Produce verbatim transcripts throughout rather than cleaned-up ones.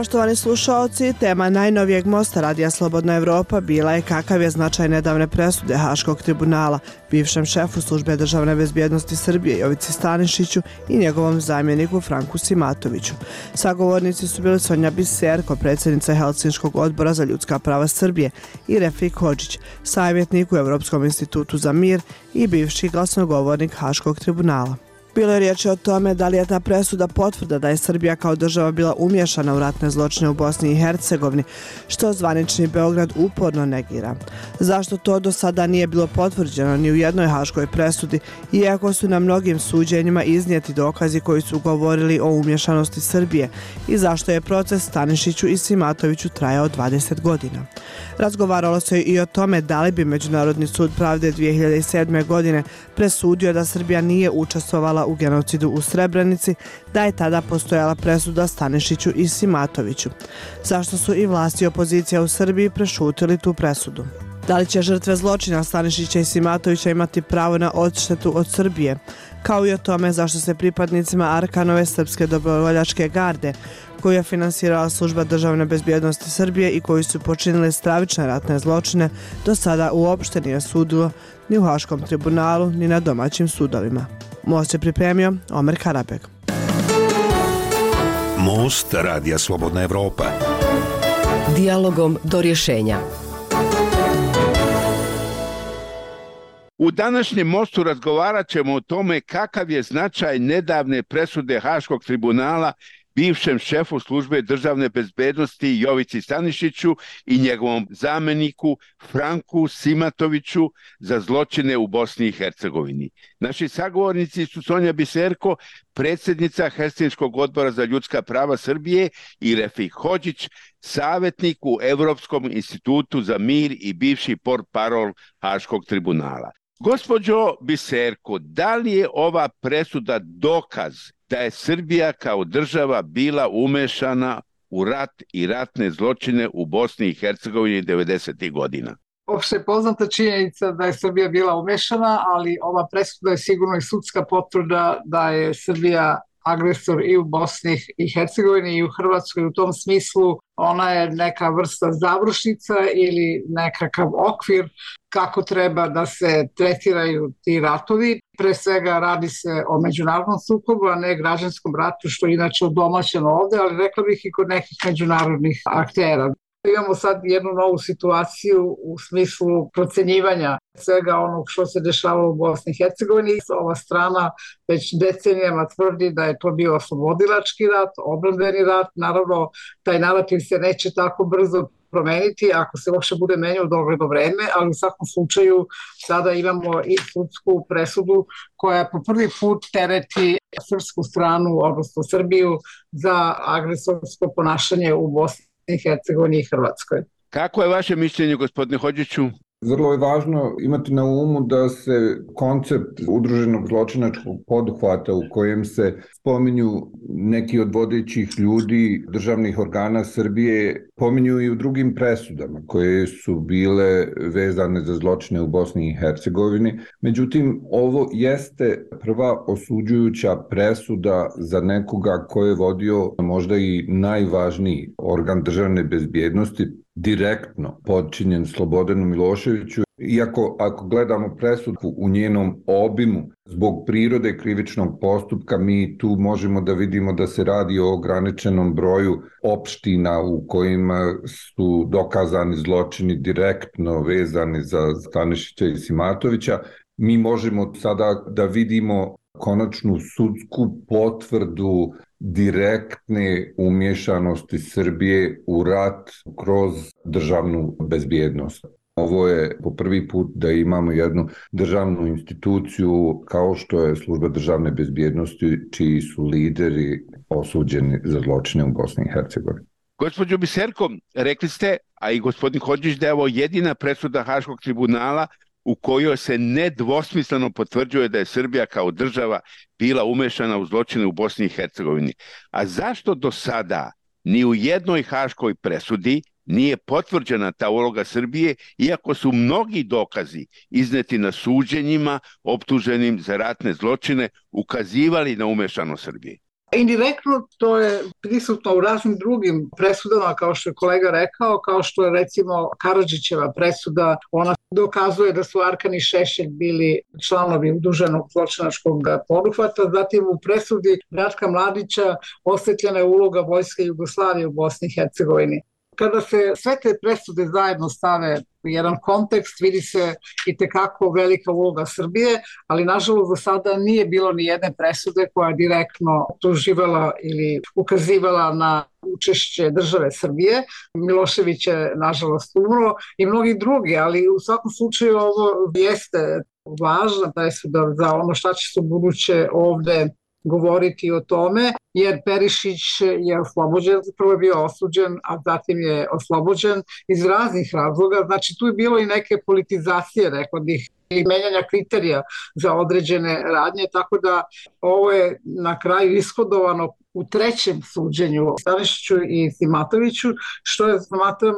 Poštovani slušaoci, tema najnovijeg mosta Radija Slobodna Evropa bila je kakav je značaj nedavne presude Haškog tribunala bivšem šefu Službe državne bezbjednosti Srbije Jovici Stanišiću i njegovom zamjeniku Franku Simatoviću. Sagovornici su bili Sonja Biserko, predsjednica Helsinškog odbora za ljudska prava Srbije, i Refik Hodžić, savjetnik u Europskom institutu za mir i bivši glasnogovornik Haškog tribunala. Bilo je riječi o tome da li je ta presuda potvrda da je Srbija kao država bila umješana u ratne zločine u Bosni i Hercegovini, što zvanični Beograd uporno negira. Zašto to do sada nije bilo potvrđeno ni u jednoj haškoj presudi, iako su na mnogim suđenjima iznijeti dokazi koji su govorili o umješanosti Srbije, i zašto je proces Stanišiću i Simatoviću trajao dvadeset godina. Razgovaralo se i o tome da li bi Međunarodni sud pravde dvije hiljade sedme. godine presudio da Srbija nije učestvovala u genocidu u Srebrenici, da je tada postojala presuda Stanišiću i Simatoviću. Zašto su i vlasti i opozicija u Srbiji prešutili tu presudu? Da li će žrtve zločina Stanišića i Simatovića imati pravo na odštetu od Srbije? Kao i o tome zašto se pripadnicima Arkanove srpske dobrovoljačke garde, koju je finansirala Služba državne bezbjednosti Srbije i koji su počinili stravične ratne zločine, do sada uopšte nije sudilo ni u Haškom tribunalu, ni na domaćim sudovima. Most je pripremio Omer Karabek. Most Radija Slobodna Evropa. Dijalogom do rješenja. U današnjem mostu razgovarat ćemo o tome kakav je značaj nedavne presude Haškog tribunala bivšem šefu Službe državne bezbjednosti Jovici Stanišiću i njegovom zamjeniku Franku Simatoviću za zločine u Bosni i Hercegovini. Naši sagovornici su Sonja Biserko, predsjednica Helsinškog odbora za ljudska prava Srbije, i Refik Hodžić, savjetnik u Europskom institutu za mir i bivši portparol Haškog tribunala. Gospođo Biserko, da li je ova presuda dokaz da je Srbija kao država bila umešana u rat i ratne zločine u Bosni i Hercegovini devedesetih godina? Opšte je poznata činjenica da je Srbija bila umešana, ali ova presuda je sigurno i sudska potvrda da je Srbija agresor i u Bosni i Hercegovini i u Hrvatskoj. U tom smislu ona je neka vrsta završnica ili nekakav okvir kako treba da se tretiraju ti ratovi. Pre svega radi se o međunarodnom sukobu, a ne građanskom ratu, što je inače odomaćeno ovde, ali rekla bih i kod nekih međunarodnih aktera. Imamo sad jednu novu situaciju u smislu procenjivanja svega onog što se dešavalo u Bosni i Hercegovini. Ova strana već decenijama tvrdi da je to bio oslobodilački rat, odbrambeni rat. Naravno, taj narativ se neće tako brzo promeniti ako se uopšte bude menjao u dogledno vreme, ali u svakom slučaju sada imamo i sudsku presudu koja po prvi put tereti srpsku stranu, odnosno Srbiju, za agresorsko ponašanje u Bosni i Hercegovini i Hrvatskoj. Kako je vaše mišljenje, gospodine Hodžiću? Vrlo je važno imati na umu da se koncept udruženog zločinačkog poduhvata u kojem se spominju neki od vodećih ljudi državnih organa Srbije pominju i u drugim presudama koje su bile vezane za zločine u Bosni i Hercegovini. Međutim, ovo jeste prva osuđujuća presuda za nekoga ko je vodio možda i najvažniji organ državne bezbjednosti, direktno podčinjen Slobodanu Miloševiću. Iako ako gledamo presudu u njenom obimu, zbog prirode krivičnog postupka, mi tu možemo da vidimo da se radi o ograničenom broju opština u kojima su dokazani zločini direktno vezani za Stanišića i Simatovića. Mi možemo sada da vidimo konačnu sudsku potvrdu direktne umješanosti Srbije u rat kroz državnu bezbjednost. Ovo je po prvi put da imamo jednu državnu instituciju kao što je Služba državne bezbjednosti, čiji su lideri osuđeni za zločine u Bosni i Hercegovini. Gospođo Biserko, rekli ste, a i gospodin Hodžić, da je ovo jedina presuda Haškog tribunala u kojoj se nedvosmisleno potvrđuje da je Srbija kao država bila umešana u zločine u Bosni i Hercegovini. A zašto do sada ni u jednoj haškoj presudi nije potvrđena ta uloga Srbije, iako su mnogi dokazi izneti na suđenjima optuženim za ratne zločine ukazivali na umešanost Srbije? Indirektno to je prisutno u raznim drugim presudama, kao što je kolega rekao, kao što je recimo Karadžićeva presuda. Ona dokazuje da su Arkan i Šešelj bili članovi udruženog zločinačkog poduhvata. Zatim u presudi Ratka Mladića osvetljena je uloga Vojske Jugoslavije u Bosni i Hercegovini. Kada se sve te presude zajedno stave u jedan kontekst, vidi se i tekako velika uloga Srbije, ali nažalost do sada nije bilo ni jedne presude koja je direktno tuživala ili ukazivala na učešće države Srbije. Milošević je nažalost umro i mnogi drugi, ali u svakom slučaju ovo jeste važna presuda za ono šta će se u buduće ovde govoriti o tome, jer Perišić je oslobođen, prvo je bio osuđen, a zatim je oslobođen iz raznih razloga. Znači tu je bilo i neke politizacije, rekao bih, i menjanja kriterija za određene radnje, tako da ovo je na kraju ishodovano u trećem suđenju Stanišiću i Simatoviću, što je, smatram,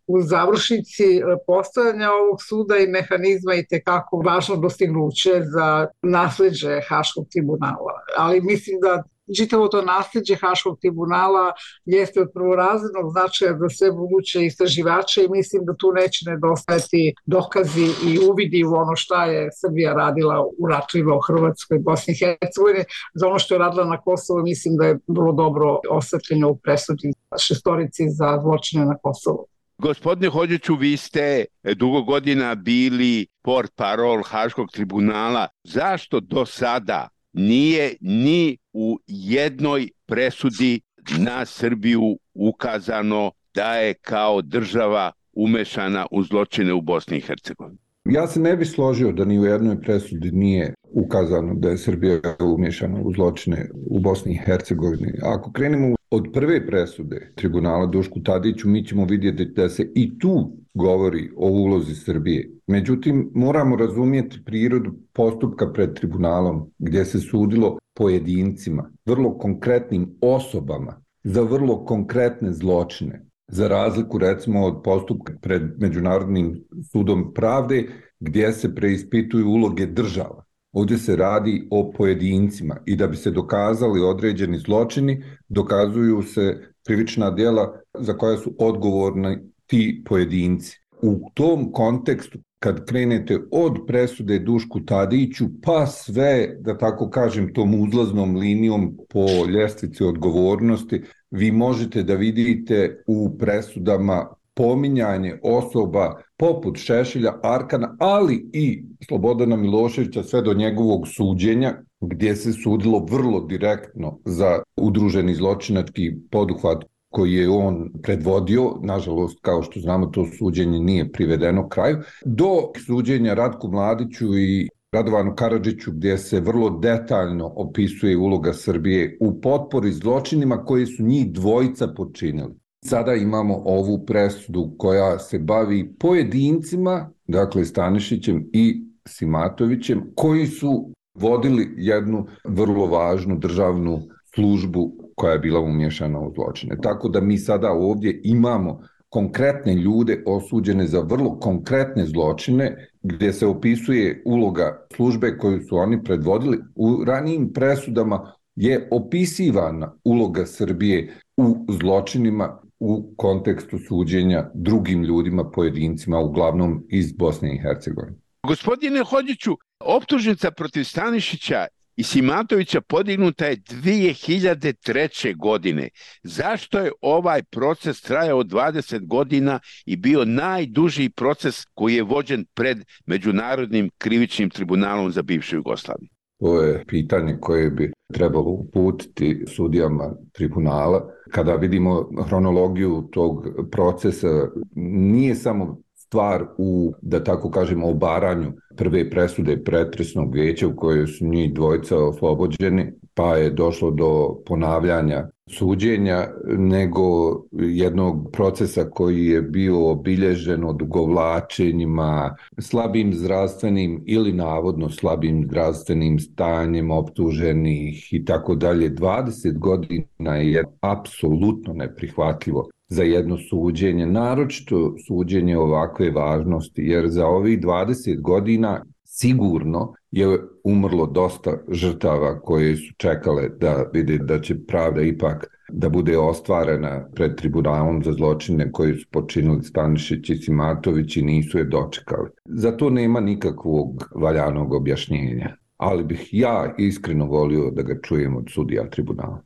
u završnici postojanja ovog suda i mehanizma i tekako važno dostignuće za nasleđe Haškog tribunala. Ali mislim da čitavo to nasleđe Haškog tribunala jeste od prvorazrednog značaja za sve buduće istraživače i mislim da tu neće nedostajati dokazi i uvidi u ono šta je Srbija radila u ratovima u Hrvatskoj i Bosni i Hercegovini. Za ono što je radila na Kosovu mislim da je vrlo dobro osvetljeno u presudi šestorici za zločine na Kosovu. Gospodine Hodžiću, vi ste dugo godina bili portparol Haškog tribunala. Zašto do sada nije ni u jednoj presudi na Srbiju ukazano da je kao država umešana u zločine u Bosni i Hercegovini? Ja se ne bih složio da ni u jednoj presudi nije ukazano da je Srbija umešana u zločine u Bosni i Hercegovini. Ako krenemo od prve presude tribunala Dušku Tadiću, mi ćemo vidjeti da se i tu govori o ulozi Srbije. Međutim, moramo razumjeti prirodu postupka pred tribunalom, gdje se sudilo pojedincima, vrlo konkretnim osobama, za vrlo konkretne zločine. Za razliku, recimo, od postupka pred Međunarodnim sudom pravde, gdje se preispituju uloge država. Ovdje se radi o pojedincima i da bi se dokazali određeni zločini, dokazuju se krivična djela za koja su odgovorni ti pojedinci. U tom kontekstu, kad krenete od presude Dušku Tadiću, pa sve, da tako kažem, tom uzlaznom linijom po ljestvici odgovornosti, vi možete da vidite u presudama pominjanje osoba poput Šešelja, Arkana, ali i Slobodana Miloševića sve do njegovog suđenja, gdje se sudilo vrlo direktno za udruženi zločinački poduhvat koji je on predvodio. Nažalost, kao što znamo, to suđenje nije privedeno kraju, do suđenja Ratku Mladiću i Radovanu Karadžiću, gdje se vrlo detaljno opisuje uloga Srbije u potpori zločinima koje su njih dvojica počinili. Sada imamo ovu presudu koja se bavi pojedincima, dakle Stanišićem i Simatovićem, koji su vodili jednu vrlo važnu državnu službu koja je bila umješana u zločine. Tako da mi sada ovdje imamo konkretne ljude osuđene za vrlo konkretne zločine, gdje se opisuje uloga službe koju su oni predvodili. U ranijim presudama je opisivana uloga Srbije u zločinima u kontekstu suđenja drugim ljudima, pojedincima, uglavnom iz Bosne i Hercegovine. Gospodine Hodžiću, optužnica protiv Stanišića i Simatovića podignuta je dvije hiljade treće. godine. Zašto je ovaj proces trajao dvadeset godina i bio najduži proces koji je vođen pred Međunarodnim krivičnim tribunalom za bivšu Jugoslaviju? To je pitanje koje bi trebalo uputiti sudijama tribunala. Kada vidimo hronologiju tog procesa, nije samo stvar u, da tako kažemo, obaranju prve presude pretresnog vijeća u kojoj su njih dvojica oslobođeni, pa je došlo do ponavljanja suđenja, nego jednog procesa koji je bio obilježen odugovlačenjima, slabim zdravstvenim ili navodno slabim zdravstvenim stanjem optuženih i tako dalje. dvadeset godina je apsolutno neprihvatljivo za jedno suđenje, naročito suđenje ovakve važnosti, jer za ovih dvadeset godina sigurno je umrlo dosta žrtava koje su čekale da vide da će pravda ipak da bude ostvarena pred tribunalom za zločine koje su počinili Stanišić i Simatović i nisu je dočekali. Za to nema nikakvog valjanog objašnjenja, ali bih ja iskreno volio da ga čujem od sudija tribunala.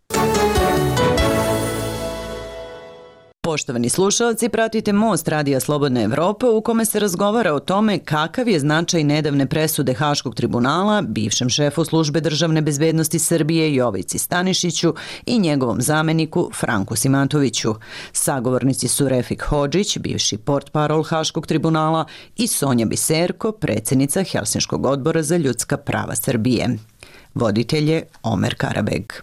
Poštovani slušalci, pratite Most Radija Slobodne Evrope u kome se razgovara o tome kakav je značaj nedavne presude Haškog tribunala bivšem šefu Službe državne bezbednosti Srbije Jovici Stanišiću i njegovom zameniku Franku Simatoviću. Sagovornici su Refik Hodžić, bivši portparol Haškog tribunala, i Sonja Biserko, predsjednica Helsinškog odbora za ljudska prava Srbije. Voditelj je Omer Karabeg.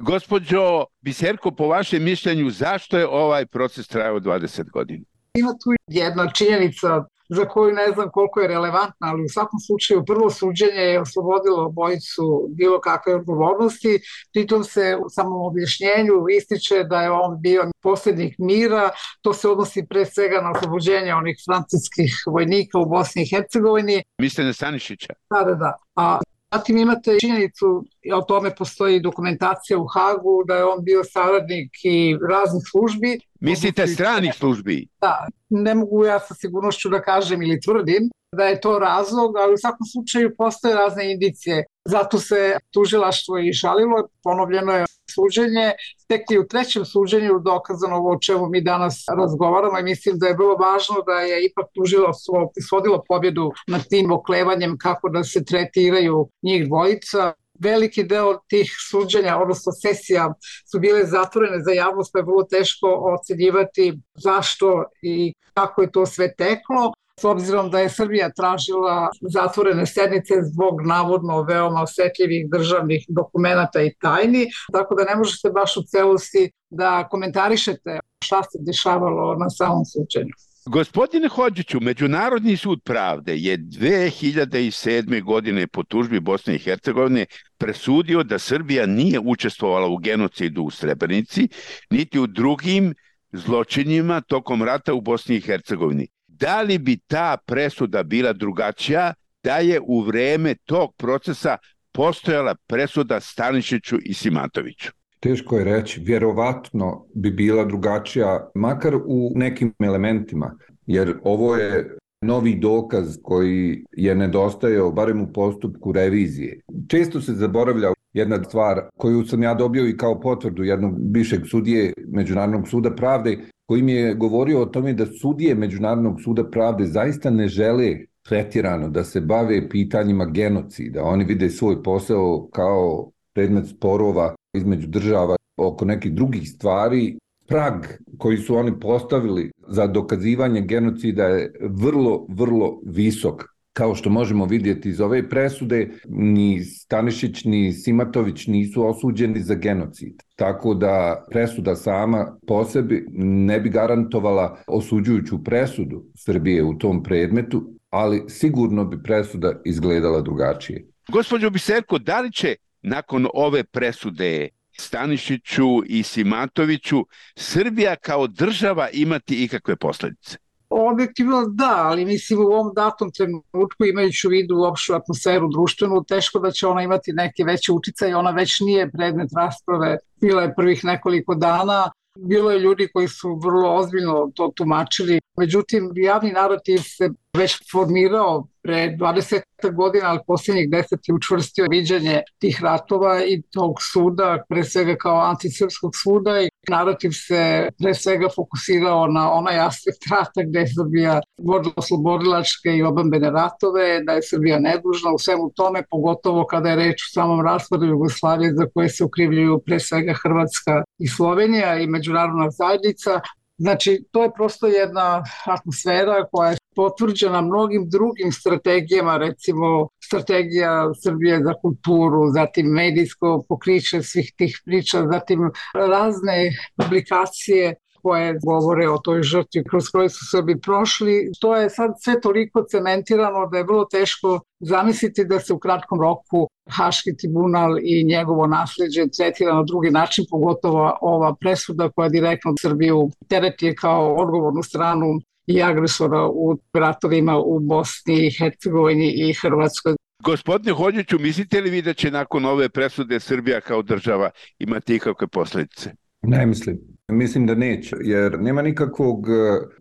Gospođo Biserko, po vašem mišljenju, zašto je ovaj proces trajao dvadeset godina? Ima tu jedna činjenica za koju ne znam koliko je relevantna, ali u svakom slučaju prvo suđenje je oslobodilo obojicu bilo kakve odgovornosti. Pritom se u samom objašnjenju ističe da je on bio posljednik mira. To se odnosi pre svega na oslobođenje onih francuskih vojnika u Bosni i Hercegovini. Mislite na Stanišića? Da, da, da. A zatim imate činjenicu, o tome postoji dokumentacija u Hagu, da je on bio saradnik i raznih službi. Mislite stranih službi? Da, ne mogu ja sa sigurnošću da kažem ili tvrdim da je to razlog, ali u svakom slučaju postoje razne indicije. Zato se tužilaštvo i žalilo, ponovljeno je suđenje, tek i u trećem suđenju dokazano ovo o čemu mi danas razgovaramo i mislim da je bilo važno da je ipak tužilaštvo ishodilo pobjedu nad tim oklevanjem kako da se tretiraju njih dvojica. Veliki deo tih suđenja, odnosno sesija, su bile zatvorene za javnost, pa je vrlo teško ocenjivati zašto i kako je to sve teklo. S obzirom da je Srbija tražila zatvorene sednice zbog navodno veoma osetljivih državnih dokumenata i tajni, tako da ne možete baš u celosti da komentarišete šta se dešavalo na samom suđenju. Gospodine Hodžiću, Međunarodni sud pravde je dve hiljade sedme. godine po tužbi Bosne i Hercegovine presudio da Srbija nije učestvovala u genocidu u Srebrenici, niti u drugim zločinima tokom rata u Bosni i Hercegovini. Da li bi ta presuda bila drugačija da je u vreme tog procesa postojala presuda Stanišiću i Simatoviću? Teško je reći, vjerovatno bi bila drugačija, makar u nekim elementima, jer ovo je novi dokaz koji je nedostajao, barem u postupku revizije. Često se zaboravlja jedna stvar koju sam ja dobio i kao potvrdu jednog bivšeg sudije Međunarodnog suda pravde, koji mi je govorio o tome da sudije Međunarodnog suda pravde zaista ne žele pretjerano da se bave pitanjima genocida. Oni vide svoj posao kao predmet sporova između država oko nekih drugih stvari. Prag koji su oni postavili za dokazivanje genocida je vrlo, vrlo visok. Kao što možemo vidjeti iz ove presude, ni Stanišić ni Simatović nisu osuđeni za genocid. Tako da presuda sama po sebi ne bi garantovala osuđujuću presudu Srbije u tom predmetu, ali sigurno bi presuda izgledala drugačije. Gospođo Biserko, da li će nakon ove presude Stanišiću i Simatoviću Srbija kao država imati ikakve posljedice? Objektivno da, ali mislim u ovom datom trenutku, imajući u vidu opštu atmosferu društvenu, teško da će ona imati neke veće uticaje. Ona već nije predmet rasprave, bila je prvih nekoliko dana. Bilo je ljudi koji su vrlo ozbiljno to tumačili. Međutim, javni narativ se već formirao pre dvadeset godina, ali posljednjih deset je učvrstio viđenje tih ratova i tog suda, pre svega kao antisrpskog suda, i narativ se pre svega fokusirao na onaj aspekt rata gde je Srbija vodila oslobodilačke i odbrambene ratove, da je Srbija nedužna u svemu tome, pogotovo kada je reč u samom raspadu Jugoslavije za koje se ukrivljuju pre svega Hrvatska i Slovenija i međunarodna zajednica. Znači, to je prosto jedna atmosfera koja je potvrđena mnogim drugim strategijama, recimo strategija Srbije za kulturu, zatim medijsko pokriće svih tih priča, zatim razne publikacije koje govore o toj žrtvi kroz koje su Srbi prošli. To je sad sve toliko cementirano da je vrlo teško zamisliti da se u kratkom roku Haški tribunal i njegovo nasleđe tretira na drugi način, pogotovo ova presuda koja direktno Srbiju tereti kao odgovornu stranu i agresora u ratovima u Bosni i Hercegovini i Hrvatskoj. Gospodine Hodžiću, mislite li vi da će nakon ove presude Srbija kao država imati ikakve posljedice? Ne mislim. Mislim da neće, jer nema nikakvog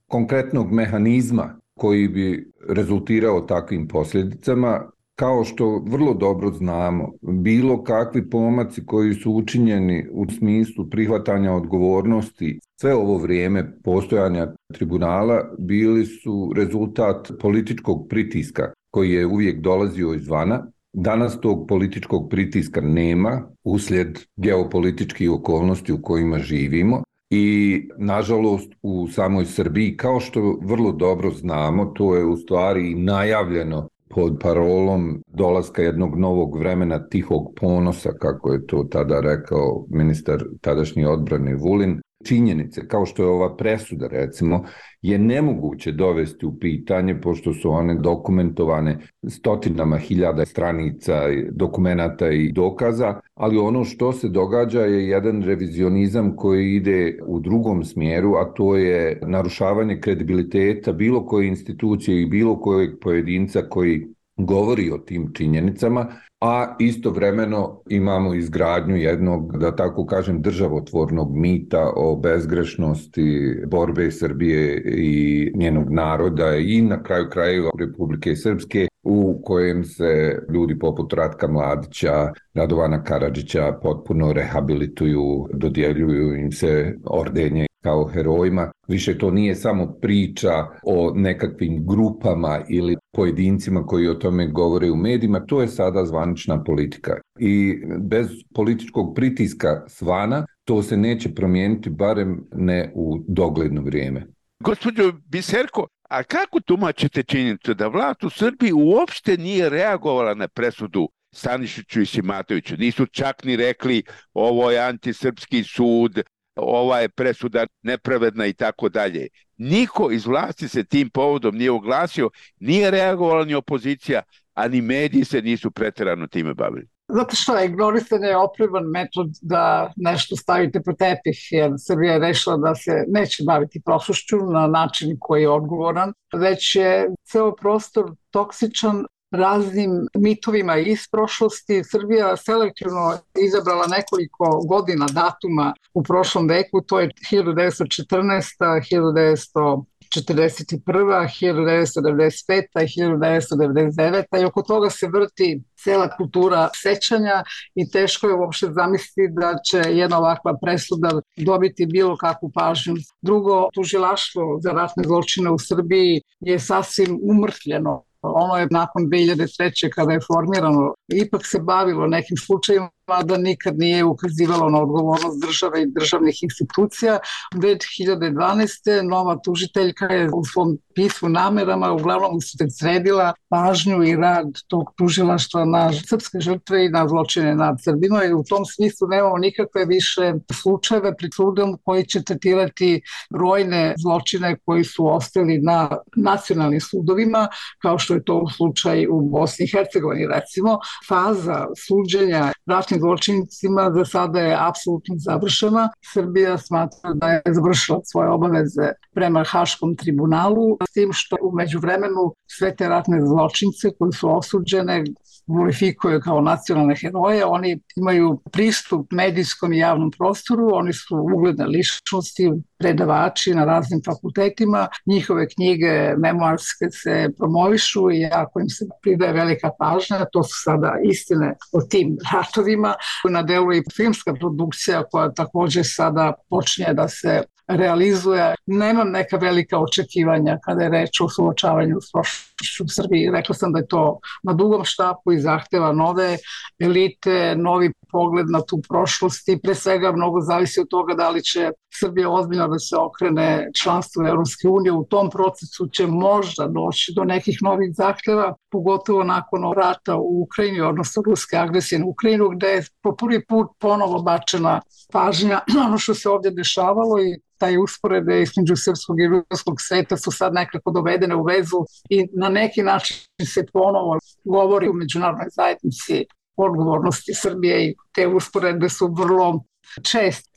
konkretnog mehanizma koji bi rezultirao takvim posljedicama. Kao što vrlo dobro znamo, bilo kakvi pomaci koji su učinjeni u smislu prihvatanja odgovornosti sve ovo vrijeme postojanja tribunala bili su rezultat političkog pritiska koji je uvijek dolazio izvana. Danas tog političkog pritiska nema uslijed geopolitičkih okolnosti u kojima živimo i nažalost u samoj Srbiji, kao što vrlo dobro znamo, to je u stvari najavljeno pod parolom dolaska jednog novog vremena tihog ponosa, kako je to tada rekao ministar tadašnje odbrane Vulin. Činjenice, kao što je ova presuda recimo, je nemoguće dovesti u pitanje, pošto su one dokumentovane stotinama hiljada stranica dokumenata i dokaza, ali ono što se događa je jedan revizionizam koji ide u drugom smjeru, a to je narušavanje kredibiliteta bilo koje institucije i bilo kojeg pojedinca koji govori o tim činjenicama, a istovremeno imamo izgradnju jednog, da tako kažem, državotvornog mita o bezgrešnosti borbe Srbije i njenog naroda i na kraju krajeva Republike Srpske, u kojem se ljudi poput Ratka Mladića, Radovana Karadžića potpuno rehabilituju, dodjeljuju im se ordenje kao herojima. Više to nije samo priča o nekakvim grupama ili pojedincima koji o tome govore u medijima, to je sada zvanična politika. I bez političkog pritiska svana to se neće promijeniti, barem ne u dogledno vrijeme. Gospođo Biserko, a kako tumačite činjenicu da vlast u Srbiji uopšte nije reagovala na presudu Stanišiću i Simatoviću? Nisu čak ni rekli ovo je antisrpski sud, ova je presuda nepravedna i tako dalje. Niko iz vlasti se tim povodom nije oglasio, nije reagovala ni opozicija, a ni mediji se nisu pretjerano time bavili. Zato što je ignorisanje je oprivan metod da nešto stavite po tepih, jer Srbija je rešila da se neće baviti prošlošću na način koji je odgovoran, već je ceo prostor toksičan raznim mitovima iz prošlosti. Srbija selektivno izabrala nekoliko godina datuma u prošlom veku, to je hiljadu devetsto četrnaesta, hiljadu devetsto četrdeset prva, hiljadu devetsto devedeset peta i hiljadu devetsto devedeset deveta i oko toga se vrti cela kultura sećanja i teško je uopšte zamisliti da će jedna ovakva presuda dobiti bilo kakvu pažnju. Drugo, tužilaštvo za ratne zločine u Srbiji je sasvim umrtvljeno. Ono je nakon dve hiljade treće kada je formirano ipak se bavilo nekim slučajima da nikad nije ukazivalo na odgovornost države i državnih institucija. dve hiljade dvanaeste. nova tužiteljka je u svom pismu namerama uglavnom usredsredila pažnju i rad tog tužilaštva na srpske žrtve i na zločine nad Srbima i u tom smislu nemamo nikakve više slučajeve pred sudom koji će tretirati brojne zločine koji su ostali na nacionalnim sudovima, kao što je to slučaj u Bosni i Hercegovini recimo. Faza suđenja ratnim zločincima za sada je apsolutno završena. Srbija smatra da je završila svoje obaveze prema Haškom tribunalu, s tim što u međuvremenu sve te ratne zločince koji su osuđene glorifikuju kao nacionalne heroje, oni imaju pristup medijskom i javnom prostoru, oni su ugledne ličnosti, predavači na raznim fakultetima, njihove knjige memoarske se promovišu i jako im se pridaje velika pažnja, to su sada istine o tim ratovima. Na delu i filmska produkcija koja također sada počinje da se realizuje. Nemam neka velika očekivanja kada je reč o suočavanju s prošlošću u Srbiji. Rekla sam da je to na dugom štapu i zahteva nove elite, novi pogled na tu prošlost i pre svega mnogo zavisi od toga da li će Srbija ozbiljno da se okrene članstvu Evropske unije. U tom procesu će možda doći do nekih novih zahtjeva, pogotovo nakon rata u Ukrajini, odnosno ruske agresije na Ukrajinu, gde je po prvi put ponovo bačena pažnja ono što se ovdje dešavalo i taj usporede između srpskog i ruskog sveta su sad nekako dovedene u vezu i na neki način se ponovo govori u međunarodnoj zajednici o odgovornosti Srbije i te usporede su vrlo česte.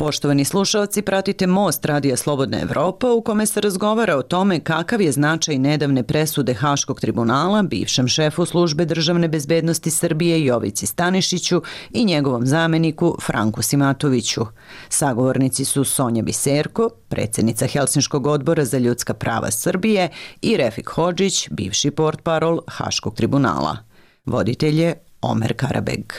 Poštovani slušaoci, pratite Most Radija Slobodna Evropa u kome se razgovara o tome kakav je značaj nedavne presude Haškog tribunala bivšem šefu Službe državne bezbednosti Srbije Jovici Stanišiću i njegovom zameniku Franku Simatoviću. Sagovornici su Sonja Biserko, predsjednica Helsinškog odbora za ljudska prava Srbije, i Refik Hodžić, bivši portparol Haškog tribunala. Voditelj je Omer Karabeg.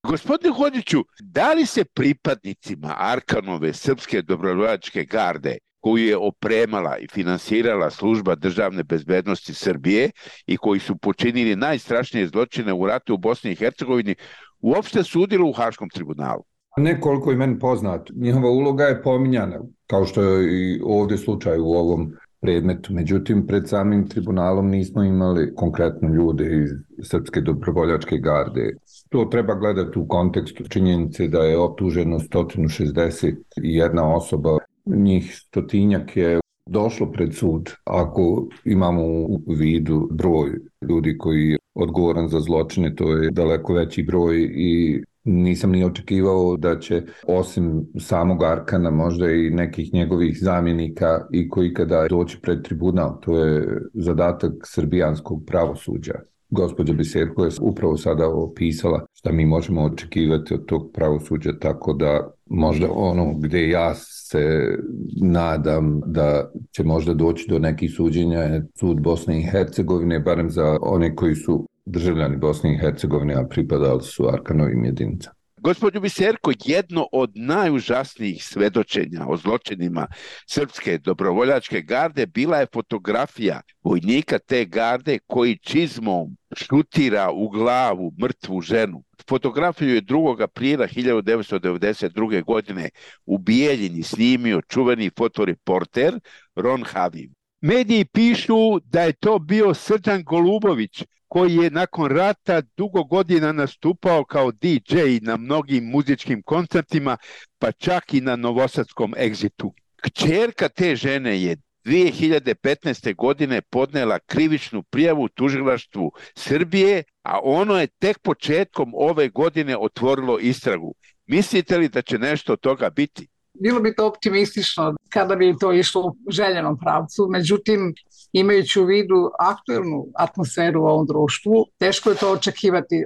Gospodine Hodžiću, da li se pripadnicima Arkanove srpske dobrovoljačke garde, koju je opremala i finansirala Služba državne bezbednosti Srbije i koji su počinili najstrašnije zločine u ratu u Bosni i Hercegovini, uopšte sudilo u Haškom tribunalu? Ne koliko je meni poznato. Njihova uloga je pominjana, kao što je i ovdje slučaj u ovom predmetu. Međutim, pred samim tribunalom nismo imali konkretno ljude iz Srpske dobrovoljačke garde. To treba gledati u kontekstu činjenice da je optuženo sto šezdeset jedna osoba. Njih stotinjak je došlo pred sud. Ako imamo u vidu broj ljudi koji je odgovoran za zločine, to je daleko veći broj i nisam ni očekivao da će osim samog Arkana možda i nekih njegovih zamjenika i koji kada doći pred tribunal. To je zadatak srbijanskog pravosuđa. Gospođa Biserko je upravo sada opisala šta mi možemo očekivati od tog pravosuđa, tako da možda ono gdje ja se nadam da će možda doći do nekih suđenja je sud Bosne i Hercegovine, barem za one koji su državljani Bosne i Hercegovine, a pripadali su Arkanovim jedinicama. Gospođo Biserko, jedno od najužasnijih svedočenja o zločinima Srpske dobrovoljačke garde bila je fotografija vojnika te garde koji čizmom šutira u glavu mrtvu ženu. Fotografiju je drugog aprila hiljadu devetsto devedeset druge. godine u Bijeljini snimio čuveni fotoreporter Ron Havim. Mediji pišu da je to bio Srđan Golubović, koji je nakon rata dugo godina nastupao kao D J na mnogim muzičkim koncertima, pa čak i na novosadskom Exitu. Kćerka te žene je dvije hiljade petnaeste. godine podnela krivičnu prijavu tužilaštvu Srbije, a ono je tek početkom ove godine otvorilo istragu. Mislite li da će nešto od toga biti? Bilo bi to optimistično kada bi to išlo u željenom pravcu, međutim, imajući u vidu aktuelnu atmosferu u ovom društvu, teško je to očekivati.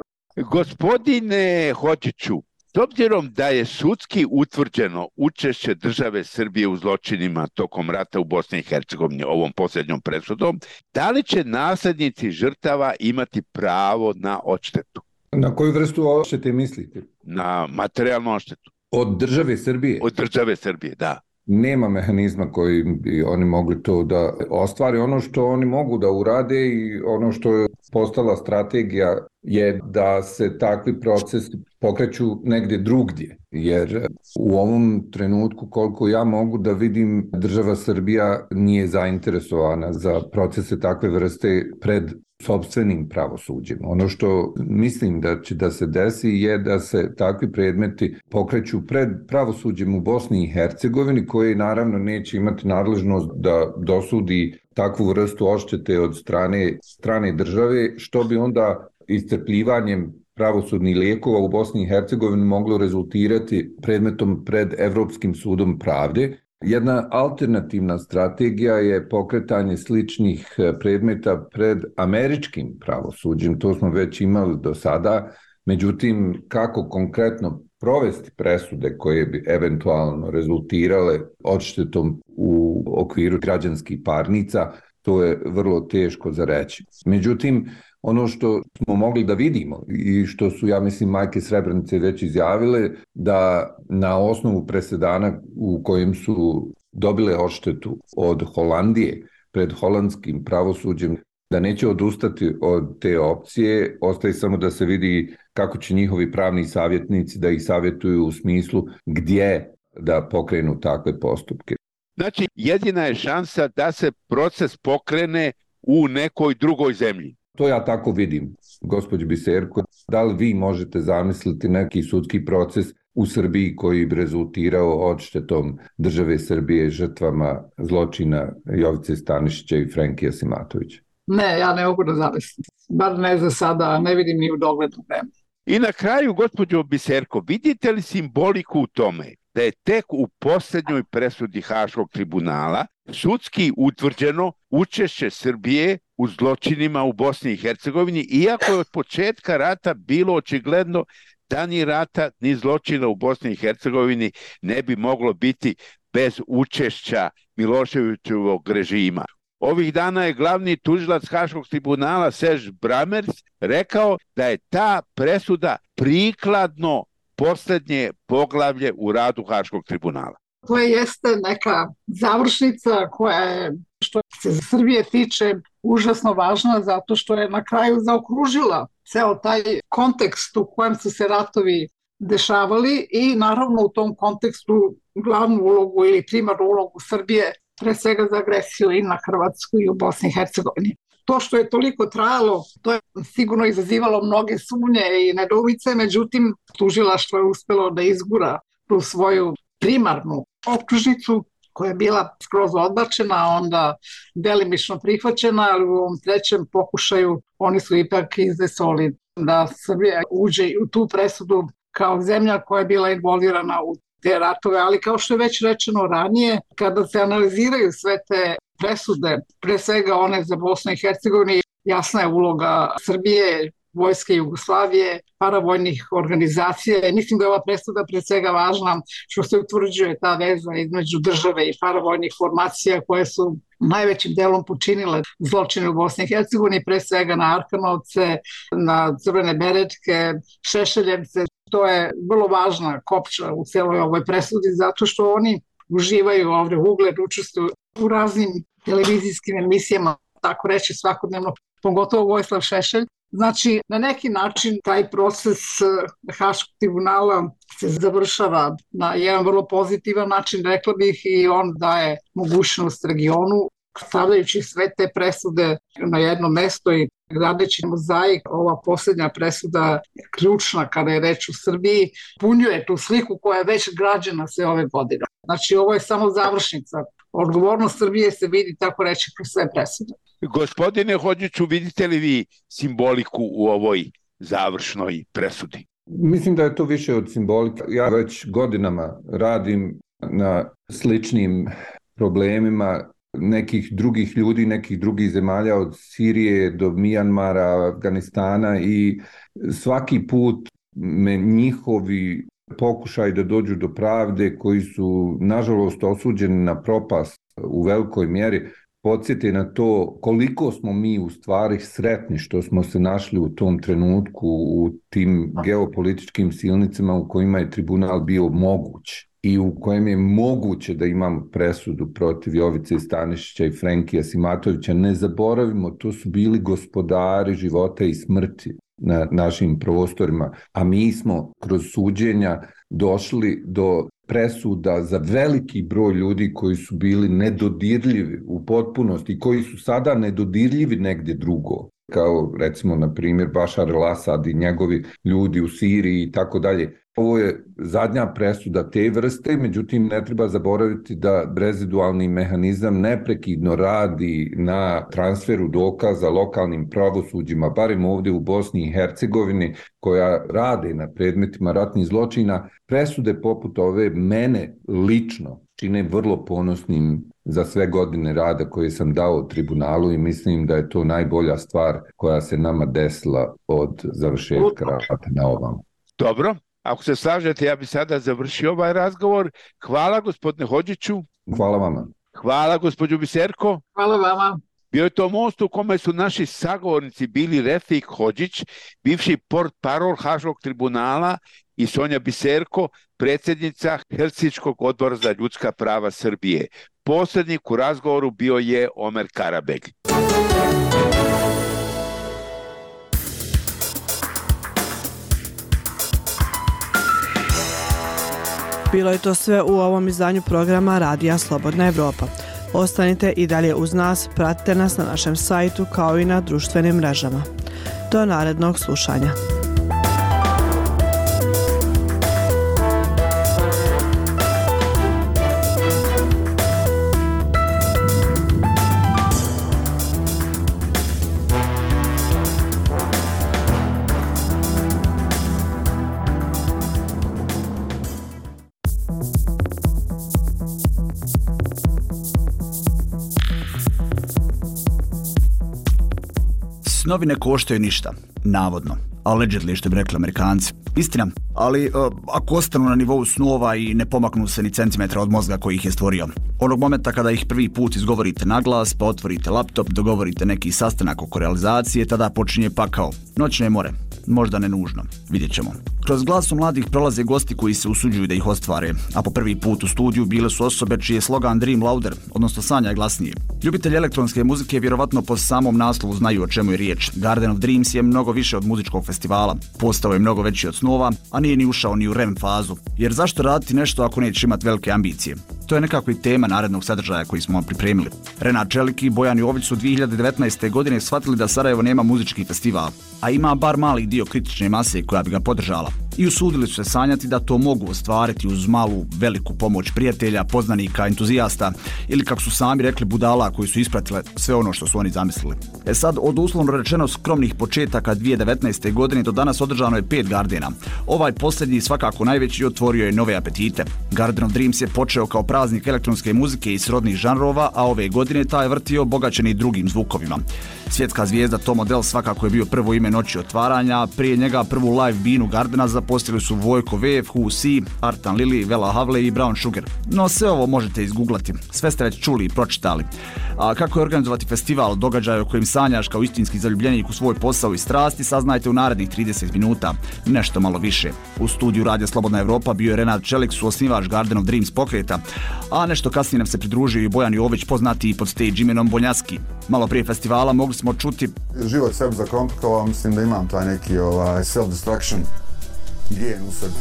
Gospodine Hodžiću, s obzirom da je sudski utvrđeno učešće države Srbije u zločinima tokom rata u Bosni i Hercegovini ovom posljednjom presudom, da li će naslednici žrtava imati pravo na odštetu? Na koju vrstu odštete mislite? Na materijalnu odštetu. Od države Srbije? Od države Srbije, da. Nema mehanizma koji bi oni mogli to da ostvare. Ono što oni mogu da urade i ono što je postala strategija je da se takvi procesi pokreću negdje drugdje. Jer u ovom trenutku, koliko ja mogu da vidim, država Srbija nije zainteresovana za procese takve vrste pred sopstvenim pravosuđem. Ono što mislim da će da se desi je da se takvi predmeti pokreću pred pravosuđem u Bosni i Hercegovini, koji naravno neće imati nadležnost da dosudi takvu vrstu odštete od strane, strane države, što bi onda iscrpljivanjem pravosudnih lijekova u Bosni i Hercegovini moglo rezultirati predmetom pred Evropskim sudom pravde. Jedna alternativna strategija je pokretanje sličnih predmeta pred američkim pravosuđem. To smo već imali do sada. Međutim, kako konkretno provesti presude koje bi eventualno rezultirale odštetom u okviru građanskih parnica, to je vrlo teško za reći. Međutim, ono što smo mogli da vidimo i što su, ja mislim, majke Srebrenice već izjavile, da na osnovu presedana u kojem su dobile odštetu od Holandije pred holandskim pravosuđem, da neće odustati od te opcije, ostaje samo da se vidi kako će njihovi pravni savjetnici da ih savjetuju u smislu gdje da pokrenu takve postupke. Znači, jedina je šansa da se proces pokrene u nekoj drugoj zemlji. To ja tako vidim, gospođo Biserko. Da li vi možete zamisliti neki sudski proces u Srbiji koji bi rezultirao odštetom države Srbije žrtvama zločina Jovice Stanišića i Frenkija Simatovića? Ne, ja ne mogu da zamislim. Bar ne za sada, ne vidim ni u doglednu vremenu. I na kraju, gospođo Biserko, vidite li simboliku u tome da je tek u posljednjoj presudi Haškog tribunala sudski utvrđeno učešće Srbije u zločinima u Bosni i Hercegovini, iako je od početka rata bilo očigledno da ni rata ni zločina u Bosni i Hercegovini ne bi moglo biti bez učešća Miloševićevog režima. Ovih dana je glavni tužilac Haškog tribunala Serge Bramers rekao da je ta presuda prikladno posljednje poglavlje u radu Haškog tribunala. To jeste neka završnica koja je, što se za Srbije tiče, užasno važna zato što je na kraju zaokružila ceo taj kontekst u kojem su se ratovi dešavali i naravno u tom kontekstu glavnu ulogu ili primarnu ulogu Srbije pre svega za agresiju i na Hrvatsku i u Bosni i Hercegovini. To što je toliko trajalo, to je sigurno izazivalo mnoge sumnje i nedoumice, međutim tužilaštvo je uspelo da izgura tu svoju primarnu optužnicu koja je bila skroz odbačena, a onda delimično prihvaćena, ali u ovom trećem pokušaju oni su ipak izdesoli da Srbija uđe u tu presudu kao zemlja koja je bila involvirana u te ratove, ali kao što je već rečeno ranije, kada se analiziraju sve te presude, pre svega one za Bosnu i Hercegovini, jasna je uloga Srbije, Vojske Jugoslavije, paravojnih organizacija. Mislim da je ova presuda pre svega važna što se utvrđuje ta veza između države i paravojnih formacija koje su najvećim delom počinile zločine u Bosni i Hercegovini, pre svega na Arkanovce, na Crvene beretke, Šešeljevce. To je vrlo važna kopča u celoj ovoj presudi zato što oni uživaju ovde ugled, učestvuju u raznim televizijskim emisijama, tako reći svakodnevno, pogotovo Vojislav Šešelj. Znači, na neki način taj proces Haškog tribunala se završava na jedan vrlo pozitivan način, rekla bih, i on daje mogućnost regionu, stavljajući sve te presude na jedno mesto i gradeći mozaik. Ova posljednja presuda je ključna kada je reč u Srbiji, punjuje tu sliku koja je već građena sve ove godine. Znači, ovo je samo završnica. Odgovornost Srbije se vidi, tako reći, kroz sve presude. Gospodine Hodžiću, vidite li vi simboliku u ovoj završnoj presudi? Mislim da je to više od simbolike. Ja već godinama radim na sličnim problemima nekih drugih ljudi, nekih drugih zemalja od Sirije do Mijanmara, Afganistana i svaki put me njihovi pokušaj da dođu do pravde koji su nažalost osuđeni na propast u velikoj mjeri podsjeti na to koliko smo mi u stvari sretni što smo se našli u tom trenutku u tim geopolitičkim silnicama u kojima je tribunal bio moguć i u kojem je moguće da imamo presudu protiv Jovice Stanišića i Frenkija Simatovića. Ne zaboravimo, to su bili gospodari života i smrti na našim prostorima, a mi smo kroz suđenja došli do presuda za veliki broj ljudi koji su bili nedodirljivi u potpunosti, koji su sada nedodirljivi negdje drugo, kao recimo na primjer Bašar el-Asad i njegovi ljudi u Siriji i tako dalje. Ovo je zadnja presuda te vrste, međutim ne treba zaboraviti da rezidualni mehanizam neprekidno radi na transferu dokaza lokalnim pravosuđima, barem ovdje u Bosni i Hercegovini, koja rade na predmetima ratnih zločina. Presude poput ove mene lično čine vrlo ponosnim za sve godine rada koje sam dao tribunalu i mislim da je to najbolja stvar koja se nama desila od završetka rata na ovom. Dobro. Ako se slažete, ja bih sada završio ovaj razgovor. Hvala gospodine Hodžiću. Hvala vama. Hvala gospođo Biserko. Hvala vama. Bio je to most u kome su naši sagovornici bili Refik Hodžić, bivši portparol Haškog tribunala, i Sonja Biserko, predsjednica Helsinškog odbora za ljudska prava Srbije. Posrednik u razgovoru bio je Omer Karabeg. Bilo je to sve u ovom izdanju programa Radija Slobodna Evropa. Ostanite i dalje uz nas, pratite nas na našem sajtu kao i na društvenim mrežama. Do narednog slušanja. Snovi ne koštaju ništa, navodno. Allegedly, što bi rekli Amerikanci. Istina, ali uh, ako ostanu na nivou snova i ne pomaknu se ni centimetra od mozga koji ih je stvorio. Onog momenta kada ih prvi put izgovorite na glas, pa otvorite laptop, dogovorite neki sastanak oko realizacije, tada počinje pakao. Noćne more. Možda ne nužno. Vidjet ćemo. Kroz glasu mladih prolaze gosti koji se usuđuju da ih ostvare, a po prvi put u studiju bile su osobe čiji je slogan Dream Louder, odnosno sanjaj glasnije. Ljubitelji elektronske muzike vjerovatno po samom naslovu znaju o čemu je riječ. Garden of Dreams je mnogo više od muzičkog festivala. Postao je mnogo veći od snova, a nije ni ušao ni u R E M fazu. Jer zašto raditi nešto ako neće imati velike ambicije? To je nekako i tema narednog sadržaja koji smo vam pripremili. Renat Čelik i Bojan Jović su dvije hiljade devetnaeste. godine shvatili da Sarajevo nema muzički festival, a ima bar mali dio kritične mase koja bi ga podržala. I usudili su se sanjati da to mogu ostvariti uz malu, veliku pomoć prijatelja, poznanika, entuzijasta ili, kako su sami rekli, budala koji su ispratile sve ono što su oni zamislili. E sad, od uslovno rečeno skromnih početaka dvije hiljade devetnaeste. godine do danas održano je pet Gardena. Ovaj posljednji, svakako najveći, otvorio je nove apetite. Garden of Dreams je počeo kao praznik elektronske muzike i srodnih žanrova, a ove godine taj je vrtio obogaćeni drugim zvukovima. Svjetska zvijezda Tom Odell svakako je bio prvo ime noći otvaranja, prije njega prvu live binu Gardena zaposlili su Vojko V, Who C, Artan Lili, Vela Havle i Brown Sugar. No sve ovo možete izgooglati, sve ste već čuli i pročitali. A kako je organizovati festival, događaj o kojem sanjaš kao istinski zaljubljenik u svoj posao i strasti, saznajte u narednih trideset minuta, nešto malo više. U studiju Radija Slobodna Evropa bio je Renat Čelik, suosnivač Garden of Dreams pokreta, a nešto kasnije nam se pridružio i Bojan Jović, poznati pod stage imenom Bonjaski. Malo prije festivala mogli smo čuti: život sebi zakomplikovao, mislim da imam taj neki ovaj, self-destruction gen u sebi.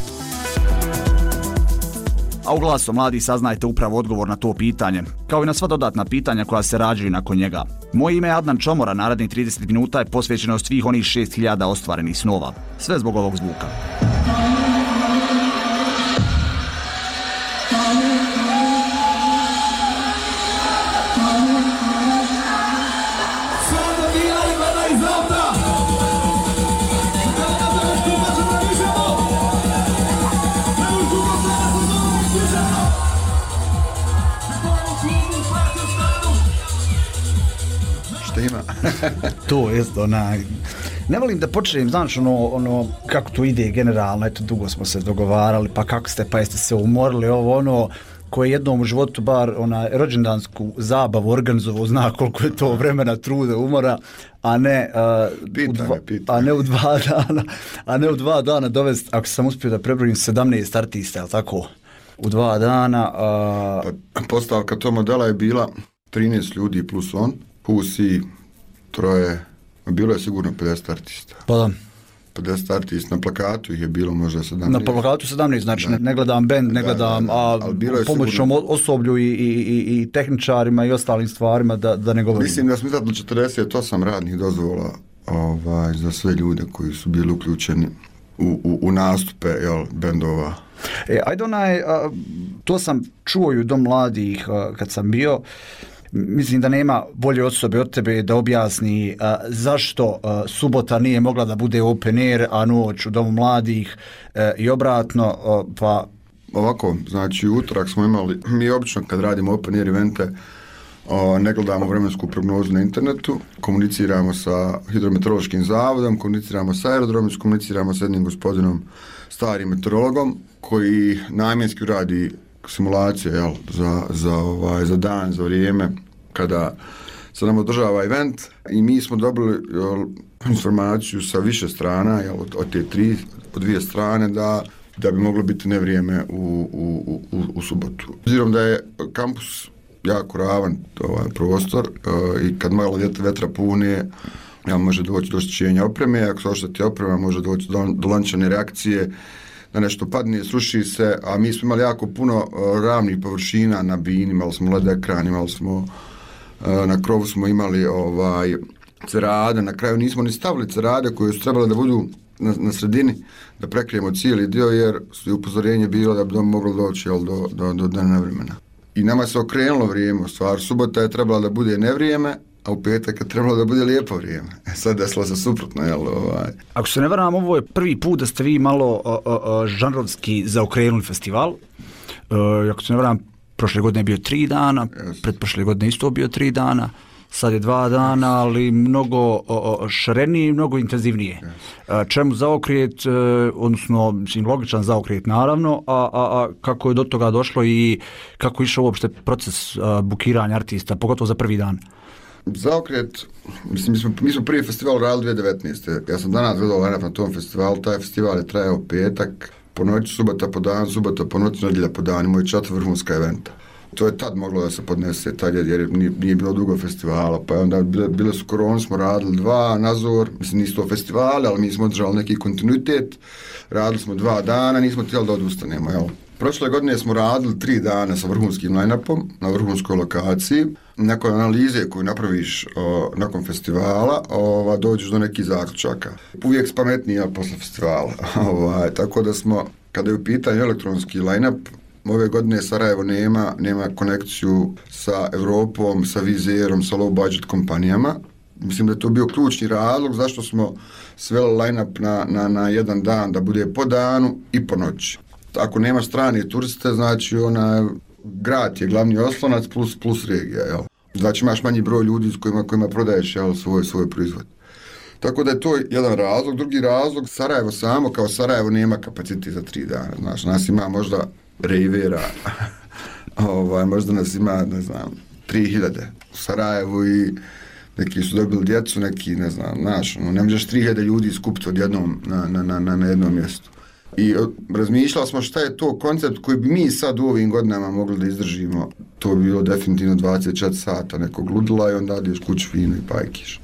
A u Glasu mladih saznajte upravo odgovor na to pitanje, kao i na sva dodatna pitanja koja se rađaju nakon njega. Moje ime je Adnan Čomora, narednih trideset minuta je posvećeno svih onih šest hiljada ostvarenih snova. Sve zbog ovog zvuka. To jest onaj, ne volim da počnem, znaš, ono, ono, kako to ide generalno, eto, dugo smo se dogovarali, pa kako ste, pa jeste se umorili, ovo, ono, koji jednom u životu bar onaj rođendansku zabavu organizovao, zna koliko je to vremena, truda, umora, a ne, uh, pita u dva, me, pita. a ne u dva dana, a ne u dva dana dovesti, ako sam uspio da prebrojim sedamnaest artista, jel tako, u dva dana. Uh... Pa, postavka tog modela je bila trinaest ljudi plus on, Pusi, troje, bilo je sigurno pedeset artista. Pa da. pedeset artista, na plakatu ih je bilo možda sedamnaest. Na plakatu sedamnaest, znači ne, ne gledam band, ne gledam, da, da, da. a pomoćnom sigurno osoblju i, i, i, i tehničarima i ostalim stvarima da, da ne govorim. Mislim da smo izdatno četrdeset osam radnih dozvola ovaj, za sve ljude koji su bili uključeni u, u, u nastupe, jel, bendova. E, ajde onaj, a, to sam čuo i u Dom mladih a, kad sam bio. Mislim da nema bolje osobe od tebe da objasni uh, zašto uh, subota nije mogla da bude open air, a noć u Domu mladih uh, i obratno, uh, pa... Ovako, znači utorak smo imali, mi obično kad radimo open air evente, uh, ne gledamo vremensku prognozu na internetu, komuniciramo sa hidrometeorološkim zavodom, komuniciramo sa aerodromom, komuniciramo sa jednim gospodinom, starim meteorologom, koji namjenski radi simulacije, jel, za, za, ovaj, za dan, za vrijeme kada se nam održava event, i mi smo dobili, jel, informaciju sa više strana, jel, od, od te tri, od dvije strane, da, da bi moglo biti nevrijeme u, u, u, u subotu. Obzirom da je kampus jako ravan ovaj, prostor uh, i kad malo vetra pune, jel, može doći do oštećenja opreme, ako se ošteti oprema može doći do, do lančane reakcije, da nešto padne, sruši se, a mi smo imali jako puno uh, ravnih površina na bini, imali smo led ekran, imali smo, uh, na krovu smo imali ovaj, cerade, na kraju nismo ni stavili cerade koje su trebale da budu na, na sredini, da prekrijemo cijeli dio, jer je upozorenje bilo da bi dom moglo doći, jel, do, do, do dana nevremena. I nama se okrenulo vrijeme, u stvar, subota je trebala da bude nevrijeme, a u petak je trebalo da bude lijepo vrijeme. E sad desilo se suprotno, jel? Ovaj. Ako se ne varam, ovo je prvi put da ste vi malo o, o, o, žanrovski zaokrenuli festival. Uh, ako se ne varam, prošle godine je bio tri dana, yes. pretprošle godine isto bio tri dana, sad je dva dana, ali mnogo o, o, šarenije i mnogo intenzivnije. Yes. Čemu zaokret, odnosno mislim, logičan zaokret naravno, a, a, a kako je do toga došlo i kako je išao uopšte proces a, bukiranja artista, pogotovo za prvi dan? Zaokret, mislim, mi smo, mi smo prvi festival radili dvije tisuće devetnaeste. Ja sam danas gledao line-up na tom festivalu, taj festival je trajao petak, po noći, subota po dan, subota po noći, nedjelja po dan, imaju četiri vrhunska eventa. To je tad moglo da se podnese, tad jer nije, nije bilo dugo festivala, pa onda bile, bile su korone, smo radili dva, nazor, mislim nisu to festivali, ali mi smo održali neki kontinuitet, radili smo dva dana, nismo htjeli da odustanemo, jel? Prošle godine smo radili tri dana sa vrhunskim line-upom na vrhunskoj lokaciji. Nakon analize koju napraviš o, nakon festivala, ova, dođeš do nekih zaključaka. Uvijek spametnija posle festivala. Ovaj, tako da smo, kada je u pitanju elektronski line-up, ove godine Sarajevo nema, nema konekciju sa Evropom, sa Vizerom, sa low budget kompanijama. Mislim da je to bio ključni razlog zašto smo sveli line-up na, na, na jedan dan da bude po danu i po noći. Ako nemaš strane turiste, znači ona, grad je glavni oslonac plus, plus regija, jel? Znači imaš manji broj ljudi s kojima, kojima prodaješ, jel, svoj, svoj proizvod. Tako da je to jedan razlog. Drugi razlog, Sarajevo samo kao Sarajevo nema kapacitet za tri dana. Znaš, nas ima možda rejvera, ovaj, možda nas ima, ne znam, tri hiljade u Sarajevu i neki su dobili djecu, neki, ne znam, znaš, ne možeš tri hiljade ljudi skupiti odjednom na, na, na, na jednom mjestu. I razmišljali smo šta je to koncept koji bi mi sad u ovim godinama mogli da izdržimo. To bi bilo definitivno dvadeset četiri sata nekog ludila i onda ideš kući fino i pajkiš.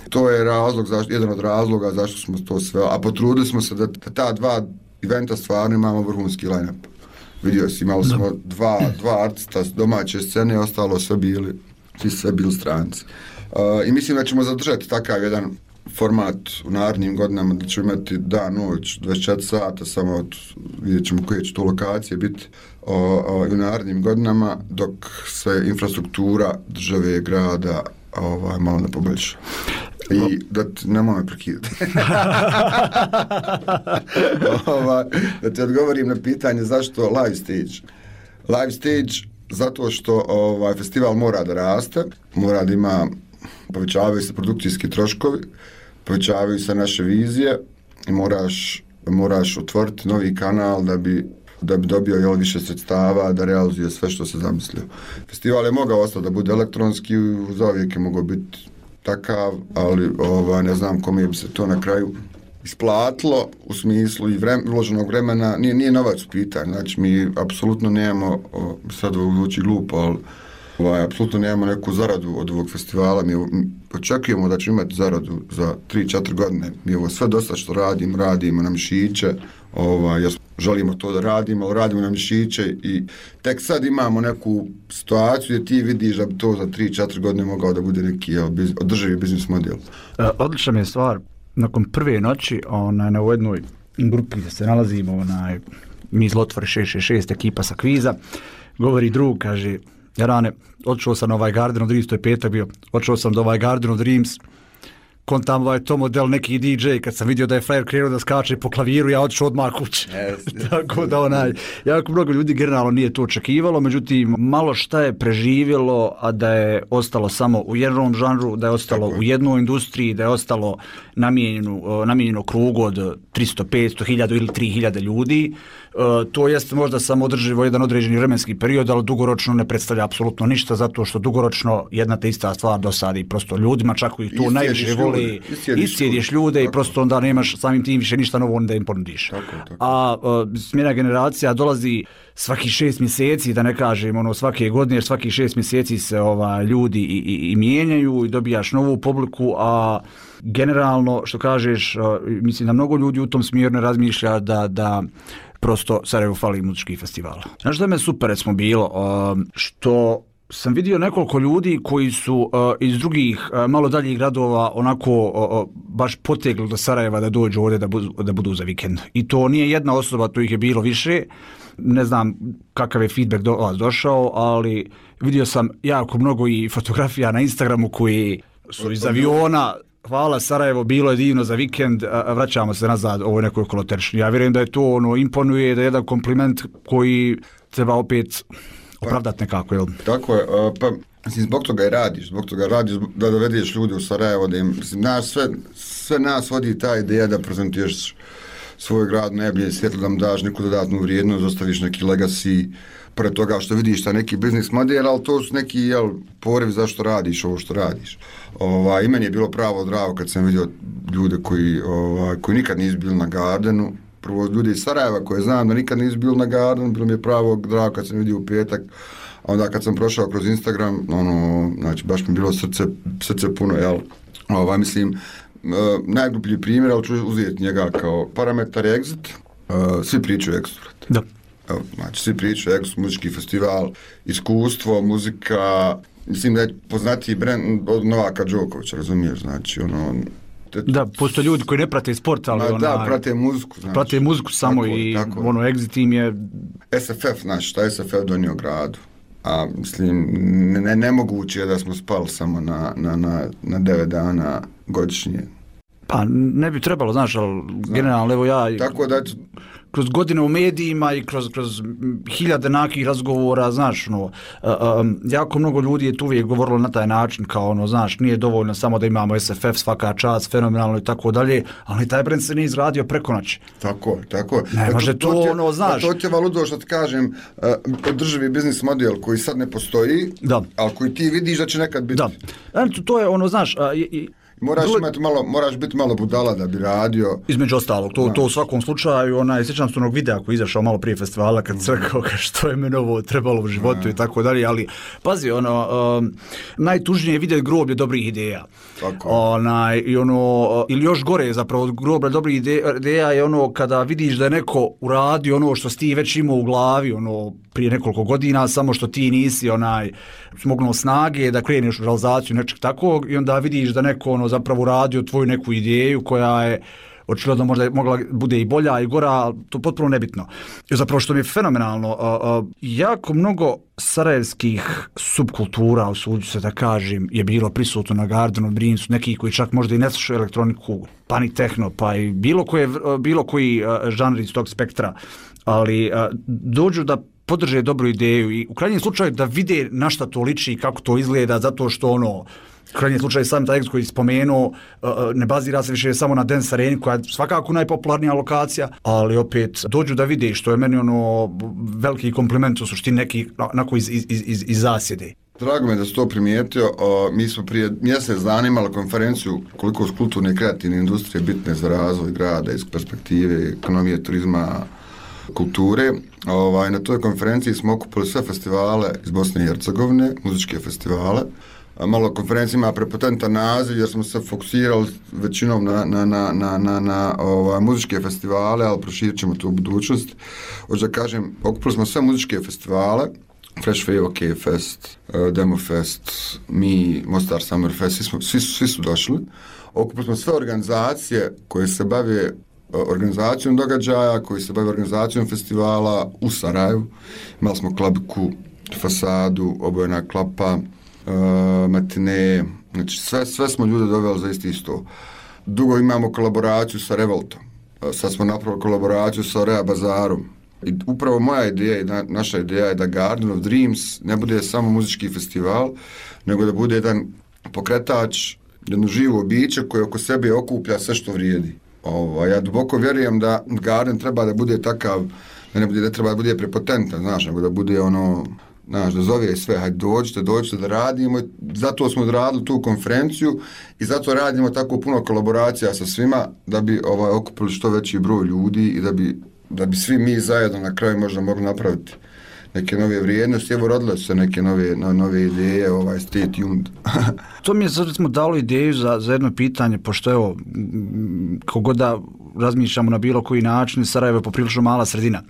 To je razlog, zašto, jedan od razloga zašto smo to sve, a potrudili smo se da, da ta dva eventa stvarno imamo vrhunski line-up. Vidio si, imali smo dva, dva artista domaće scene, ostalo sve bili, svi sve bili stranci. Uh, I mislim da ćemo zadržati takav jedan format u narednim godinama, da ćemo imati dan, noć, dvadeset četiri sata, samo od, vidjet ćemo koje će to lokacije biti o, o, u narednim godinama, dok se infrastruktura države, grada, ovaj, malo ne poboljša. I da ti, nemoj me prekidati. ovaj, da ti odgovorim na pitanje zašto live stage. Live stage zato što ovaj, festival mora da raste, mora da ima, povećavaju se produkcijski troškovi, povećavaju se naše vizije i moraš, moraš otvoriti novi kanal da bi, da bi dobio jel, više sredstava, da realizuje sve što se zamislio. Festival je mogao ostati da bude elektronski, zauvijek je mogao biti takav, ali ova, ne znam kome bi se to na kraju isplatilo u smislu i vrem, uloženog vremena, nije, nije novac u pitanju, znači mi apsolutno nemamo, o, sad zvuči glupo, ali ovaj, apsolutno nemamo neku zaradu od ovog festivala, mi, mi očekujemo da ćemo imati zaradu za tri četiri godine, mi ovo sve dosta što radimo, radimo na mišiće, ovaj, želimo to da radimo, ali radimo na mišiće i tek sad imamo neku situaciju gdje ti vidiš da bi to za tri četiri godine mogao da bude neki jel, biz, održivi biznis model. E, odlična mi je stvar, nakon prve noći onaj, na jednoj grupi gdje se nalazimo, onaj, mi iz Lotvore šest šest šest, ekipa sa kviza, govori drug, kaže, Jarane, odšao sam na ovaj Garden of Dreams, to je petak bio, odšao sam do ovaj Garden of Dreams, kontam ovaj to model neki D J, kad sam vidio da je frajer krenuo da skače po klaviru, ja odšao odmah kući. Yes, tako da onaj, jako mnogo ljudi generalno nije to očekivalo, međutim, malo šta je preživjelo, a da je ostalo samo u jednom žanru, da je ostalo tako u jednoj industriji, da je ostalo namijenjeno, namijenjeno krugu od tristo, petsto, hiljadu ili tri hiljade ljudi. Uh, to jest možda samo održivo jedan određeni vremenski period, ali dugoročno ne predstavlja apsolutno ništa, zato što dugoročno jedna te ista stvar dosadi prosto ljudima, čak i to najviše voli, iscijediš ljude tako, i prosto onda nemaš samim tim više ništa novo da im ponudiš. Tako, tako. A uh, smjena generacija dolazi svaki šest mjeseci, da ne kažem ono svake godine, jer svaki šest mjeseci se ova, ljudi i, i, i mijenjaju i dobijaš novu publiku, a generalno, što kažeš, uh, mislim da mnogo ljudi u tom smjeru ne razmišlja da, da prosto Sarajevo fali muzičkih festivala. Znaš da me super recimo bilo, uh, što sam vidio nekoliko ljudi koji su uh, iz drugih uh, malo daljih gradova onako uh, baš potegli do Sarajeva da dođu ovdje da budu, da budu za vikend. I to nije jedna osoba, to ih je bilo više. Ne znam kakav je feedback do vas došao, ali vidio sam jako mnogo i fotografija na Instagramu koji su iz aviona. Hvala Sarajevo, bilo je divno za vikend, vraćamo se nazad, ovo je nekoj koloterični. Ja vjerujem da je to ono imponuje, da je jedan kompliment koji treba opet opravdati nekako, jel? Tako je, pa mislim, zbog toga i radiš, zbog toga radiš da dovedeš ljudi u Sarajevo, da im, mislim, naš, sve, sve nas vodi ta ideja da prezentuješ svoj grad najbolje svjetlo, da mu daš neku dodatnu vrijednost, ostaviš neki legacy, pored toga što vidiš ta neki biznis model, ali to su neki jel, poriv zašto radiš ovo što radiš. Ova, I meni je bilo pravo drago kad sam vidio ljude koji, ova, koji nikad nisu bili na Gardenu, prvo ljudi iz Sarajeva koje znam da nikad nisu bili na Gardenu, bilo mi je pravo drago kad sam vidio u petak, a onda kad sam prošao kroz Instagram, ono, znači baš mi bilo srce, srce puno, jel, ova, mislim, Uh, najgluplji primjer, ali ću uzeti njega kao parametar Exit, uh, svi pričaju Exit. Da. Evo, znači, svi pričaju Exit, muzički festival, iskustvo, muzika, mislim da je poznatiji brend od Novaka Đokovića, razumiješ, znači, ono... Te, da, postoje ljudi koji ne prate sport, ali ona... Da, prate muziku, znači. Prate muziku samo tako, i tako. ono, Exit tim je... S F F, znači, šta je S F F donio gradu? A, mislim, ne, nemoguće je da smo spali samo na, na, na, na devet dana godišnje. Pa ne bi trebalo, znaš, ali generalno, evo ja... Tako da... Kroz godine u medijima i kroz, kroz hiljade nakih razgovora, znaš, no, um, jako mnogo ljudi je tu uvijek govorilo na taj način, kao ono, znaš, nije dovoljno samo da imamo S F F, svaka čast, fenomenalno i tako dalje, ali taj brend se nije izradio preko noći. Tako, tako. Ne, može to, to, ono, znaš. To ti je valudo što ti kažem, uh, održivi biznis model koji sad ne postoji, da. Ali koji ti vidiš da će nekad biti. Da, znači, to je ono, znaš, a, i, Moraš, imati malo, moraš biti malo budala da bi radio. Između ostalog, to, to u svakom slučaju, onaj, sjećam se onog videa koji je izašao malo prije festivala kad se rekao što je meni ovo trebalo u životu i tako dalje, ali pazi, ono, um, najtužnije je vidjeti groblje dobrih ideja. Tako. Onaj, i ono, ili još gore zapravo od groblja dobrih ideja je ono kada vidiš da je neko uradio ono što si ti već imao u glavi, ono, prije nekoliko godina, samo što ti nisi onaj smognuo snage da kreneš u realizaciju nečeg takvog i onda vidiš da neko ono zapravo radio tvoju neku ideju koja je očigledno možda mogla bude i bolja i gora, to potpuno nebitno. I zapravo što mi je fenomenalno, a, a, jako mnogo sarajevskih subkultura, usuđu se da kažem, je bilo prisutno na Gardenu, Brinsu, neki koji čak možda i ne slušaju elektroniku, pa ni tehno, pa i bilo, koje, bilo koji a, žanr iz tog spektra, ali a, dođu da podrže dobru ideju i u krajnjem slučaju da vide na šta to liči i kako to izgleda, zato što ono, u krajnjem slučaju sam taj Exit koji spomenuo, ne bazira se više samo na Dance Areni koja je svakako najpopularnija lokacija, ali opet dođu da vide što je meni ono veliki kompliment u suštini neki onako iz, iz, iz, iz zasjede. Drago me da si to primijetio, o, mi smo prije mjesec dana imali konferenciju koliko su kulturne i kreativne industrije bitne za razvoj grada iz perspektive ekonomije, turizma, kulture. Ovaj, na toj konferenciji smo okupili sve festivale iz Bosne i Hercegovine, muzičke festivale. Malo konferencija ima prepotentan naziv jer smo se fokusirali većinom na, na, na, na, na, na ovaj, muzičke festivale, ali proširit ćemo to u budućnosti. Hoću da kažem, okupili smo sve muzičke festivale, Fresh Wave, OK Fest, Demo Fest, mi, Mostar Summer Fest, svi, smo, svi, svi su došli. Okupili smo sve organizacije koje se bave organizacijom događaja, koji se bave organizacijom festivala u Sarajevu. Imali smo Klabiku, Fasadu, Obojena klapa, uh, Matine, znači sve, sve smo ljude doveli za isti sto. Dugo imamo kolaboraciju sa Revoltom, uh, sad smo napravili kolaboraciju sa Rea Bazarom. I upravo moja ideja i na, naša ideja je da Garden of Dreams ne bude samo muzički festival, nego da bude jedan pokretač, jedno živo biće koje oko sebe okuplja sve što vrijedi. Ovo, ja duboko vjerujem da Garden treba da bude takav, da ne, bude, da treba da bude prepotentan, znaš, nego da bude ono, znaš, da zove sve, hajde dođite, dođite da radimo, zato smo odradili tu konferenciju i zato radimo tako puno kolaboracija sa svima, da bi ovaj, okupili što veći broj ljudi i da bi, da bi svi mi zajedno na kraju možda mogli napraviti neke nove vrijednosti, evo rodile su se neke nove, no, nove ideje, ovaj, stay tuned. To mi je sad smo dalo ideju za, za jedno pitanje, pošto evo, kogod da razmišljamo na bilo koji način, Sarajevo je poprilično mala sredina.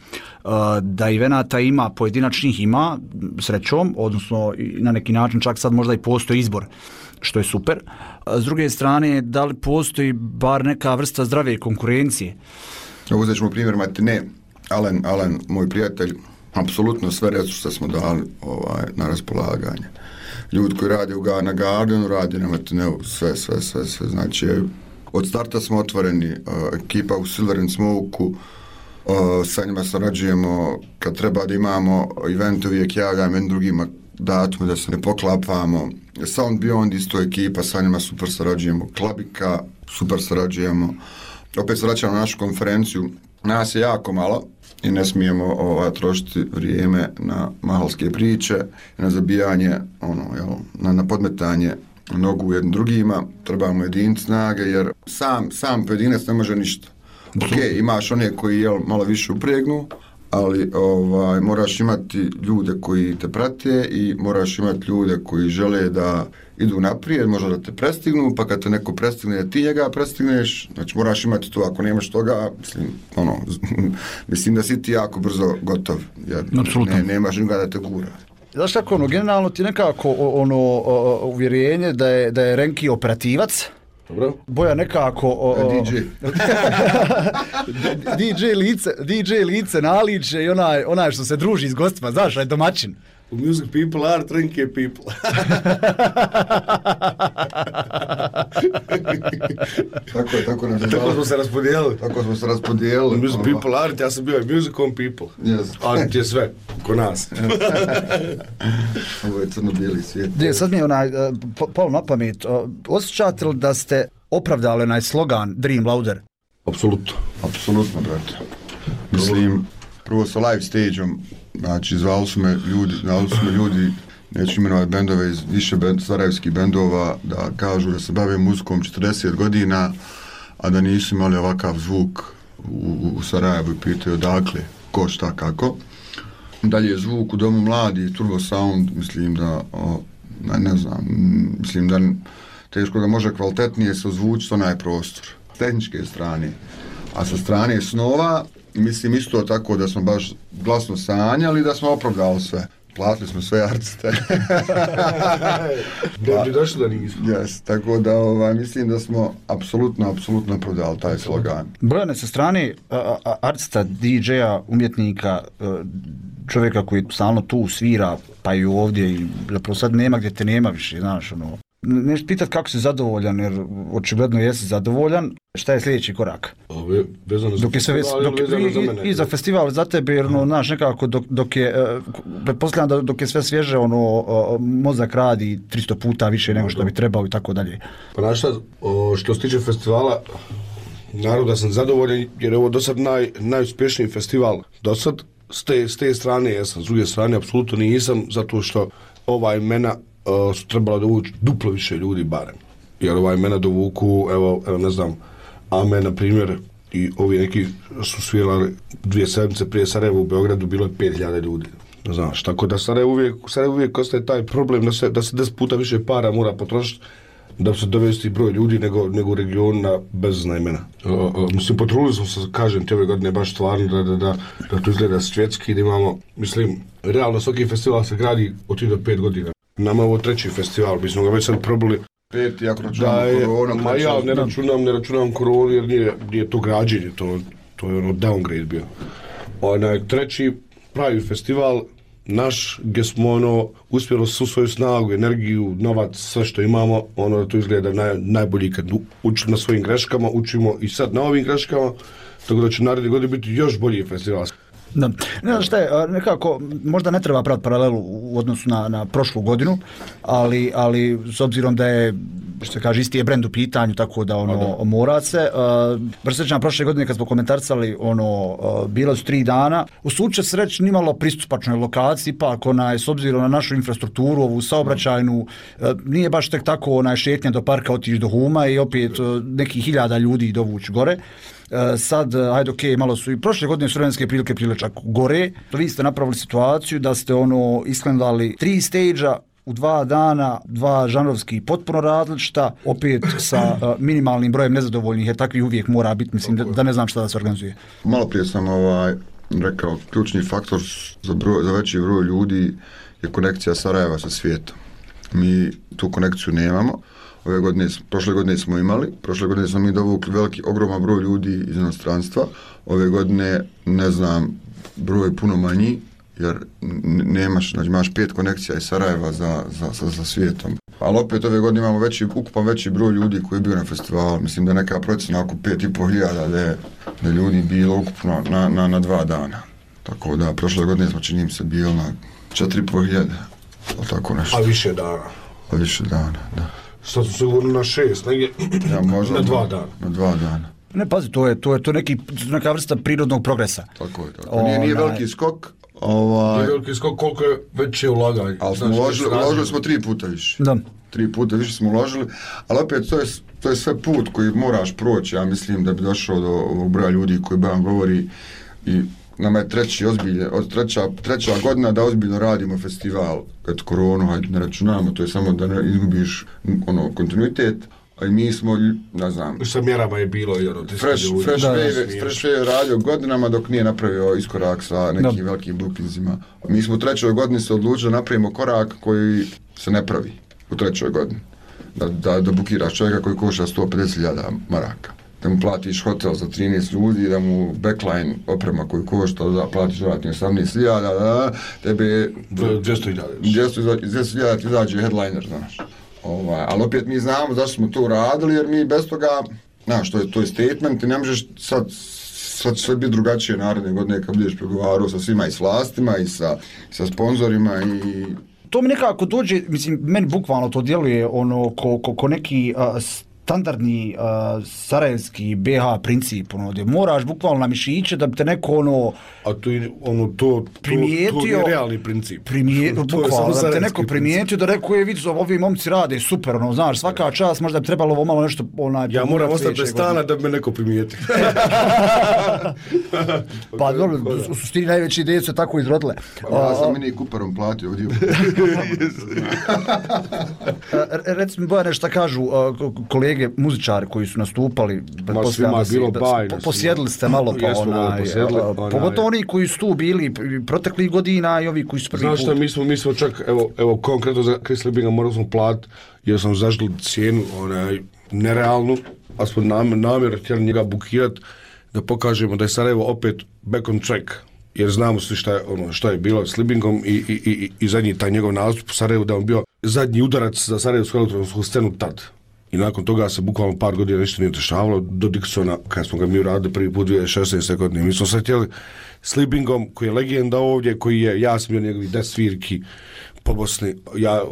Uh, da evenata ima, pojedinačnih ima, srećom, odnosno na neki način čak sad možda i postoji izbor, što je super. A s druge strane, da li postoji bar neka vrsta zdrave konkurencije? Uzet ćemo primjer Matine, Alen, Alen, moj prijatelj, apsolutno sve resurse smo dali ovaj, na raspolaganje. Ljudi koji rade u, na Gardenu, rade na Matineu, sve, sve, sve, sve. Znači, od starta smo otvoreni, uh, ekipa u Silver and Smoke-u, O, sa njima sarađujemo, kad treba da imamo event, uvijek javljam jednim drugima datume da se ne poklapamo. Sound Beyond isto ekipa, sa njima super sarađujemo. Klabika, super sarađujemo. Opet se vraćamo na našu konferenciju. Nas je jako malo i ne smijemo ovaj, trošiti vrijeme na mahalske priče, na zabijanje, ono, jel, na, na podmetanje nogu jednim drugima. Trebamo jediniti snage jer sam, sam pojedinac ne može ništa. Ok, imaš one koji jel, malo više upregnu, ali ovaj, moraš imati ljude koji te prate i moraš imati ljude koji žele da idu naprijed, možda da te prestignu, pa kad te neko prestigne, da ti njega prestigneš, znači moraš imati to, ako nemaš toga, mislim, ono, mislim da si ti jako brzo gotov, jer ne, nemaš nikoga da te gura. Znaš kako, ono, generalno ti nekako ono, uvjerenje da je, da je Renki operativac, dobro. Boja nekako o, o, D J D J lice, D J lice naliče i onaj, onaj što se druži s gostima, znaš, onaj domaćin. Music people are Renki people. Tako je, tako, tako smo se raspodijelili. Tako smo se raspodijelili. Music people are, ja sam bio music on people. Yes. Ali ti je sve, ko nas. Ovo je crno-bijeli svijet. De, sad mi je onaj, palo na pamet, osjećate li da ste opravdali onaj slogan Dream Louder? Apsolutno. Apsolutno, brate. Mislim, prvo sa live stage-om, znači zvali su me ljudi, zvali su me ljudi, neću imenovati bendove iz više bend, sarajevskih bendova, da kažu da se bave muzikom četrdeset godina, a da nisu imali ovakav zvuk u, u Sarajevu i pitaju odakle, ko, šta, kako. Dalje zvuk u Domu mladi, Turbo Sound, mislim da, o, ne, ne znam, mislim da teško da može kvalitetnije se ozvučiti onaj prostor, s tehničke strane. A sa strane snova, mislim isto tako da smo baš glasno sanjali, da smo opravdali sve. Platili smo sve artiste. Ne bi došli da nismo. Yes, tako da ovaj, mislim da smo apsolutno, apsolutno opravdali taj slogan. Brojane sa strane a, a, artista, D J-a, umjetnika, čovjeka koji stalno tu svira, pa i ovdje, i zapravo sad nema gdje te nema više, znaš, ono. Nešto pitat kako si zadovoljan, jer očigledno jesi zadovoljan. Šta je sljedeći korak? Ove, vezano za dok je sve, festival, dok, vezano i, za mene. I za festival, za tebe, jer, no, znaš, nekako dok, dok je, pretpostavljam da dok je sve svježe, ono, mozak radi tristo puta više nego što bi trebao i tako dalje. Pa znaš šta, što se tiče festivala, naravno da sam zadovoljan, jer je ovo do sad naj, najuspješniji festival. Do sad, s te, s te strane jesam, s druge strane, apsolutno nisam, zato što ova imena Uh, su trebala dovući duplo više ljudi barem. Jer ova imena dovuku, evo, evo ne znam, Ame, na primjer, i ovi neki su svirali dvije sedmice prije Sarajeva u Beogradu, bilo je pet hiljada ljudi. Ne znaš, tako da Sarajevo uvijek, Sarajevo uvijek ostaje taj problem da se, da se deset puta više para mora potrošiti da se dovesti broj ljudi nego, nego u regionu na bezazna imena. Uh, uh, mislim, potrudili smo se, kažem ti ove godine, baš stvarno da, da, da, da to izgleda svjetski, da imamo, mislim, realno svaki festival se gradi od tri do pet godina. Nama je ovo treći festival, mi smo ga već sad probali. Peti, ako računamo koronu. Ma ja ne računam, ne računam koronu jer nije, nije to građenje, to, to je ono downgrade bio. Onaj treći pravi festival, naš, gdje smo ono, uspjeli svu svoju snagu, energiju, novac, sve što imamo, ono da to izgleda naj, najbolji kad učimo na svojim greškama, učimo i sad na ovim greškama, tako da će naredne godine biti još bolji festival. Da. Ne znam šta je, nekako, možda ne treba praviti paralelu u odnosu na, na prošlu godinu, ali, ali s obzirom da je, što se kaže, isti je brend u pitanju, tako da ono, da. Mora se. Uh, Baš sećam prošle godine kad smo komentarsali, ono, uh, bila su tri dana, u slučaju se reći nimalo pristupačnoj lokaciji, ipak onaj, s obzirom na našu infrastrukturu, ovu saobraćajnu, uh, nije baš tek tako onaj šetnja do parka, otići do Huma i opet uh, nekih hiljada ljudi dovući gore. Uh, sad, ajde, ok, malo su i prošle godine su vremenske prilike prile čak gore. Vi ste napravili situaciju da ste ono isklandali tri stage-a u dva dana, dva žanrovski potpuno različita, opet sa uh, minimalnim brojem nezadovoljnih, jer takvi uvijek mora biti, mislim, da, da ne znam šta da se organizuje. Malo prije sam ovaj, rekao, ključni faktor za, broj, za veći broj ljudi je konekcija Sarajeva sa svijetom. Mi tu konekciju nemamo. Ove godine, prošle godine smo imali, prošle godine smo mi dovukli veliki, ogroman broj ljudi iz inostranstva. Ove godine, ne znam, broj je puno manji, jer nemaš, znači imaš pet konekcija iz Sarajeva za, za, za, za svijetom. Ali opet ove godine imamo veći, ukupan veći broj ljudi koji je bio na festivalu. Mislim da je neka procjena oko pet i pol hiljada da je da ljudi bilo ukupno na, na, na dva dana. Tako da, prošle godine smo čini se bilo na četiri i pol hiljade. Tako nešto. A više dana. A više dana, da. Sad su se govorili na šest, negdje ja, možda, na dva dana. Na dva dana. Ne, pazi, to je, to je, to je neki, neka vrsta prirodnog progresa. Tako je, tako. Nije, nije veliki skok. Ovaj... Nije veliki skok, koliko je veće ulaganje. Ali smo uložili, uložili smo tri puta više. Da. Tri puta više smo uložili, ali opet to je, to je sve put koji moraš proći, ja mislim da bi došao do ovog broja ljudi koji Bojan govori i nama je treći ozbilje, od treća, treća godina da ozbiljno radimo festival, kad koronu, hajde ne računamo, to je samo da ne izgubiš ono, kontinuitet, a i mi smo, ne znam... I sa mjerama je bilo i ono... Fresh, fresh, wave, fresh Wave radio godinama dok nije napravio iskorak sa nekim da. velikim bookingsima. Mi smo u trećoj godini se odlučili da napravimo korak koji se ne pravi u trećoj godini. Da, da, da bukiraš čovjeka koji koša sto pedeset hiljada maraka. Da mu platiš hotel za trinaest ljudi, da mu backline oprema koju košta, da platiš dodatni osamnaest hiljada, da tebe... dvjesto hiljada. dvjesto hiljada ti izađe headliner, znaš. Ovaj, ali opet mi znamo zašto smo to uradili, jer mi bez toga, znaš, to je, to je statement i ne možeš sad, sad sve biti drugačije naredne godine kad budeš pregovarao sa svima i s vlastima i sa, sa sponzorima i... To mi nekako dođe, mislim, meni bukvalno to djeluje ono ko, ko, ko neki uh, standardni uh, sarajevski be ha princip, ono, gdje moraš bukvalno na mišiće da bi te neko ono... A to je ono, to, primijetio, to, to je realni princip. Primijetio, bukvalno, da bi te neko primijetio, da rekao je, vidio, ovi momci rade super, ono, znaš, svaka čast, možda bi trebalo ovo malo nešto... Onaj, ja moram ostati bez stana da bi me neko primijetio. Pa dobro, u suštini najveće ideje su tako izrodile. Pa ja sam mini Cooperom platio ovdje. Reci mi, Bojane, šta kažu kolege muzičari koji su nastupali, ma svima bilo bajno. Posjedili ste malo pa onaj, pogotovo oni koji su tu bili proteklih godina i ovi koji su prvi znaš put. Znaš šta, mi smo, mi smo čak, evo, evo konkretno za Chris Liebinga morali smo platiti, jer sam zažili cijenu onaj, nerealnu, a smo nam, namjer htjeli njega bukirati da pokažemo da je Sarajevo opet back on track. Jer znamo svi šta je, ono, šta je bilo s Liebingom i, i, i, i zadnji taj njegov nastup u Sarajevu, da on bio zadnji udarac za Sarajevsku elektronsku scenu tad. I nakon toga se bukvalno par godina ništa nije dešavalo do Dixona, kada smo ga mi uradili prvi put dvije tisuće šesnaeste. godine. Mi smo se htjeli s Liebingom, koji je legenda ovdje, koji je, ja sam bio njegovi deset svirki po Bosni, ja,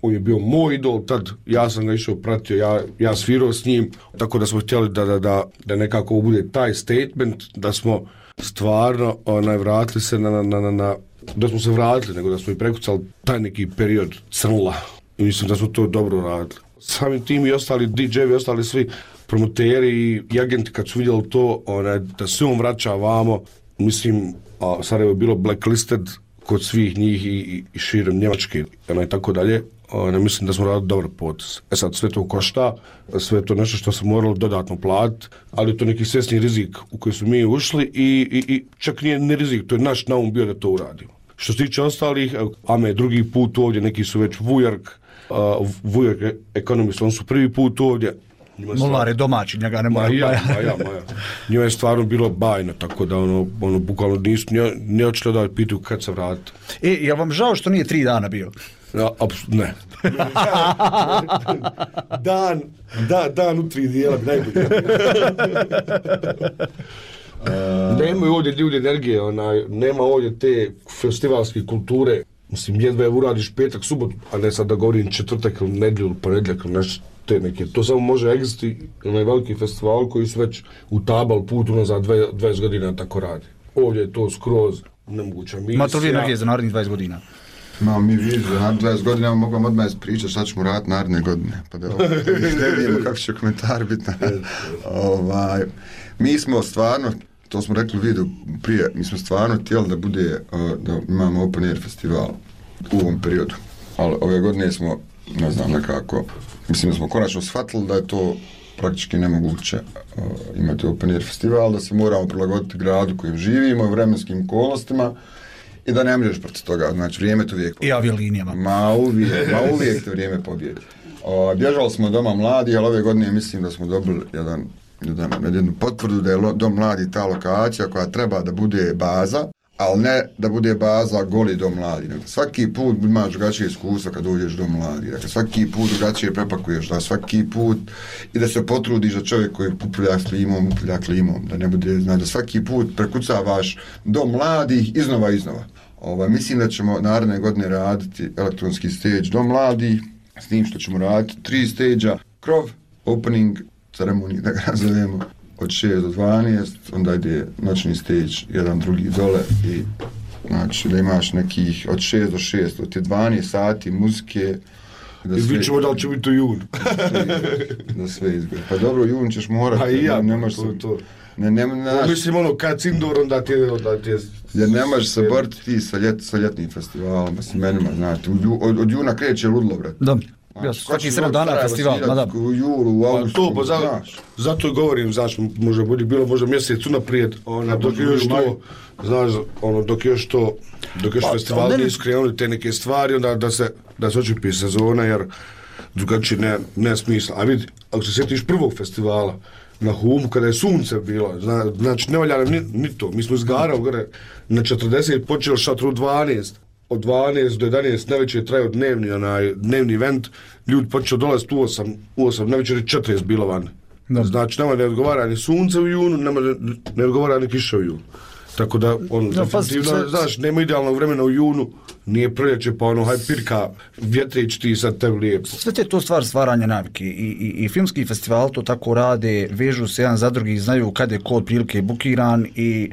on je bio moj idol tad, ja sam ga išao pratio, ja, ja svirao s njim, tako da smo htjeli da, da, da, da nekako bude taj statement, da smo stvarno onaj, vratili se na, na, na, na, da smo se vratili, nego da smo i prekucali taj neki period crnula. I mislim da smo to dobro radili. Samim tim i ostali di džeji i ostali svi promoteri i agenti kad su vidjeli to, onaj, da se on vraća vamo, mislim, a Sarajevo je bilo blacklisted kod svih njih i, i širom Njemačke, onaj, tako dalje. Ne mislim da smo radili dobar potez. E sad, sve to košta, sve to nešto što se moralo dodatno platiti, ali to neki svjesni rizik u koji su mi ušli i, i, i čak nije ne rizik, to je naš naum bio da to uradimo. Što se tiče ostalih, Ame drugi put ovdje, neki su već Vujark, uh, Vujark Economist, on su prvi put ovdje. Molar je domaći, njega ne mora. Maja, Maja, Maja. Njima je stvarno bilo bajno, tako da ono, ono bukvalno nisu, ne, ne očelo da pitu kad se vrati. E, je vam žao što nije tri dana bio? Ja, apsu, ne. dan, da, dan u tri dijela bi najbolje. Uh, nemaju ovdje ljudi energije, onaj, nema ovdje te festivalske kulture. Mislim, jedva je uradiš petak, subotu, a ne sad da govorim četvrtak ili nedjelju ili ponedjeljak ili nešto te neke. To samo može egzisti onaj veliki festival koji su već utabali put unazad dvadeset godina tako radi. Ovdje je to skroz nemoguća misija. Ma to li energije za narednih dvadeset godina? No, mi vidimo, za dvadeset godina mogu vam odmah pričati šta ćemo raditi naredne godine, pa da ne vidimo kako će komentar biti. ovaj, mi smo stvarno, to smo rekli u videu prije, mi smo stvarno htjeli da bude, da imamo open air festival u ovom periodu. Ali ove godine smo, ne znam, nekako, mislim da smo konačno shvatili da je to praktički nemoguće uh, imati open air festival, da se moramo prilagoditi gradu kojem živimo, vremenskim okolnostima i da ne možeš protiv toga, znači vrijeme to uvijek pobjedi. I aviolinijama. Ma uvijek, ma uvijek to vrijeme pobjedi. Uh, bježali smo doma mladi, ali ove godine mislim da smo dobili jedan, jedan, jednu potvrdu da je lo, dom mladi ta lokacija koja treba da bude baza, ali ne da bude baza goli dom mladi. Svaki put imaš drugačije iskustva kad dođeš do mladi. Dakle, svaki put drugačije prepakuješ, da svaki put i da se potrudiš da čovjek koji upulja klimom, upulja klimom, da ne bude, znači da svaki put prekucavaš do mladih iznova iznova. Ovaj, mislim da ćemo naredne godine raditi elektronski stage do mladih, s tim što ćemo raditi tri stage-a, krov, opening, ceremoniju, da ga nazovemo, od šest do dvanaest, onda ide noćni stage, jedan drugi dole i znači da imaš nekih od šest do šest, od te dvanaest sati muzike. Da I vidit ćemo da li će biti u junu. Da sve izgleda. Pa dobro, jun ćeš morati. Pa i ja, ne, ne to, se, to. Ne, ne, ne, ne, mislim ono, kad indoor, onda ti je... Onda ti je jer ne možeš se boriti ti sa, ljet, sa ljetnim festivalom, sa menima, znači, od, od juna kreće ludlo, brate. Da. Ja, svaki sedam dana festival, ma da. U julu, u augustu, pa to, pa za, zato i govorim, znaš, možda bude bilo možda mjesec unaprijed, ona, dok je još to, znaš, ono, dok je još to, dok još pa, festival ne nisu krenuli te neke stvari, onda da se, da se očipi sezona, jer drugačije ne, ne smisla. A vidi, ako se sjetiš prvog festivala, na Humu, kada je sunce bilo, zna, znači, ne valja nam ni, ni to, mi smo izgarali gore, na četrdeset počeli šatru dvanaest, od dvanaest do jedanaest navečer je trajao dnevni, onaj, dnevni event, ljudi počeo dolaziti u osam, u osam navečer je četrdeset bilo van. Da. Znači, nema ne odgovara ni sunce u junu, nema ne, ne odgovara ni kiša u junu. Tako da, on, da, definitivno, pa, znaš, nema idealnog vremena u junu, nije proljeće, pa ono, haj pirka, vjetrić ti sad tebi lijepo. Sve te to stvar stvaranja navike i, i, i filmski festival to tako rade, vežu se jedan za drugi, znaju kad je ko otprilike bukiran i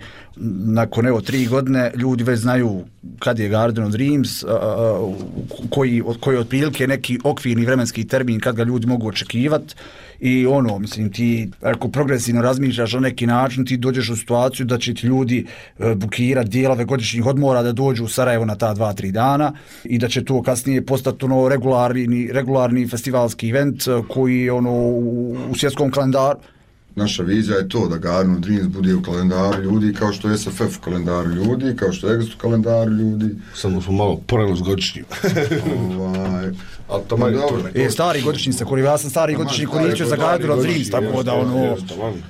nakon evo tri godine ljudi već znaju kad je Garden of Dreams, a, a, koji, koji je otprilike neki okvirni vremenski termin kad ga ljudi mogu očekivati. I ono, mislim, ti ako progresivno razmišljaš na neki način, ti dođeš u situaciju da će ti ljudi e, bukirati dijelove godišnjih odmora da dođu u Sarajevo na ta dva, tri dana i da će to kasnije postati ono regularni, regularni festivalski event koji ono u, u svjetskom kalendaru. Naša vizija je to da Garden of Dreams bude u kalendaru ljudi kao što je S F F u kalendaru ljudi, kao što je Exit u kalendaru ljudi. Samo smo malo porano s godišnjim. ovaj... Ali to manje dobro. E, stari godišnji se koristio, ja sam stari godišnji koristio za Garden of Dreams, tako da ono...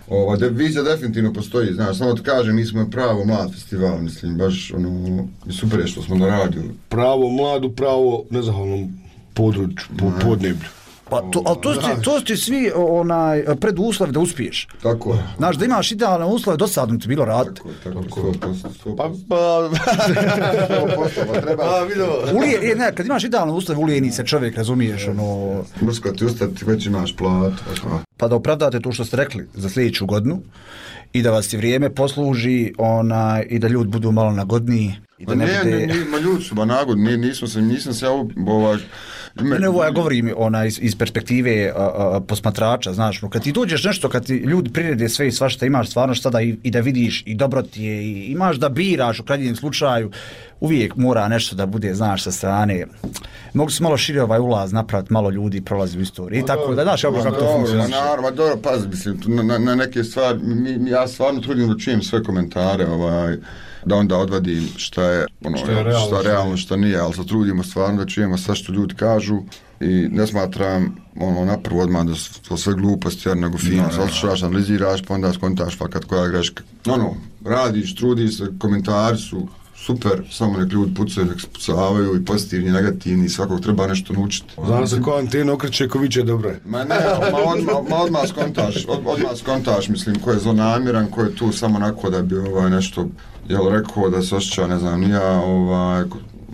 Ova de, vizija definitivno postoji, znaš, samo ti kažem, mi smo pravo mlad festival, mislim, baš ono, super je što smo naradili. Pravo mladu, pravo nezahvalnom području, po, podneblju. Pa to, ali to ste, to ste svi onaj preduslovi da uspiješ. Tako je. Znaš, da imaš idealne uslove, dosadno ti bilo raditi. Tako, tako, sto posto. Pa, pa... pa treba... Pa, vidio. Ulije, ne, kad imaš idealne uslove, ulijeni se čovjek, razumiješ, ono... Mrsko ti ustati, već imaš plat. Pa da opravdate to što ste rekli za sljedeću godinu i da vas i vrijeme posluži onaj, i da ljudi budu malo nagodniji. I da ne, ne, bude... ne, ne, ma ljudi su ba nagodni, nismo se, nisam se ja ovaj... Ne, ne, ovo ja govorim ona, iz, iz perspektive a, a, posmatrača, znaš, no, kad ti dođeš nešto, kad ti ljudi prirede sve i svašta, imaš stvarno šta da i, i da vidiš i dobro ti je, i imaš da biraš u krajnjem slučaju, uvijek mora nešto da bude, znaš, sa strane. Mogu se malo šire ovaj ulaz napraviti, malo ljudi prolazi u istoriji i tako da, znaš, kako to funkcionira. Ma dobro, pazi, mislim, na, na neke stvari, mi, ja stvarno trudim da čujem sve komentare, ovaj, da onda odvadim šta je, ono, šta je realno, šta, je realno, šta nije, ali se trudimo stvarno da čujemo sve što ljudi kažu i ne smatram ono, napravo odmah da su to sve gluposti, jer nego fino, no, saslušaš, analiziraš, pa onda skontaš fakat koja je greška. Ono, radiš, trudiš se, komentari su super, samo nek ljudi pucaju, nek se pucavaju i pozitivni, i negativni, svakog treba nešto naučiti. Znam se ko antena okreće, ko viće dobro. Ma ne, ma odmah, ma odmah skontaš, od, odmah skontaš, mislim, ko je zlonamiran, ko je tu samo onako da bi ovaj, nešto, jel, rekao da se osjeća, ne znam, nija, ovaj,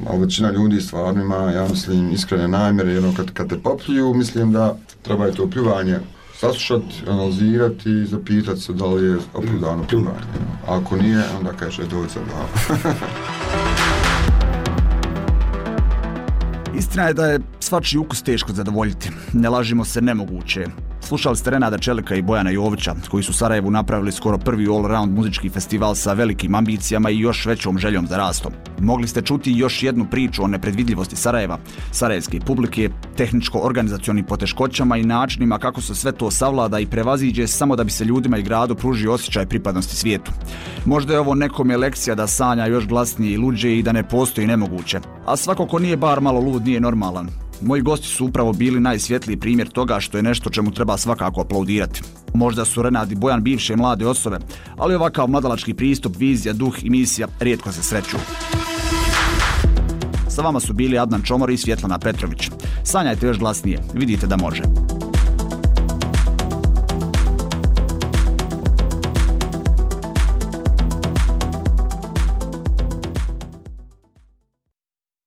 ali većina ljudi stvarno ima, ja mislim, iskrene namjere, jedno kad, kad te popljuju, mislim da treba je to pljuvanje saslušati, analizirati i zapitati se da li je opravdano pljuvanje. A ako nije, onda kaže dođe sad da. Istina je da je svačiji ukus teško zadovoljiti. Ne lažimo se, nemoguće. Slušali ste Renada Čelika i Bojana Jovića, koji su Sarajevu napravili skoro prvi all-round muzički festival sa velikim ambicijama i još većom željom za rastom. Mogli ste čuti još jednu priču o nepredvidljivosti Sarajeva, sarajevske publike, tehničko-organizacionim poteškoćama i načinima kako se sve to savlada i prevaziđe samo da bi se ljudima i gradu pružio osjećaj pripadnosti svijetu. Možda je ovo nekome lekcija da sanja još glasnije i luđe i da ne postoji nemoguće. A svako ko nije bar malo lud nije normalan. Moji gosti su upravo bili najsvjetliji primjer toga što je nešto čemu treba svakako aplaudirati. Možda su Renad i Bojan bivše mlade osobe, ali ovakav mladalački pristup, vizija, duh i misija rijetko se sreću. Sa vama su bili Adnan Čomor i Svjetlana Petrović. Sanjajte još glasnije, vidite da može.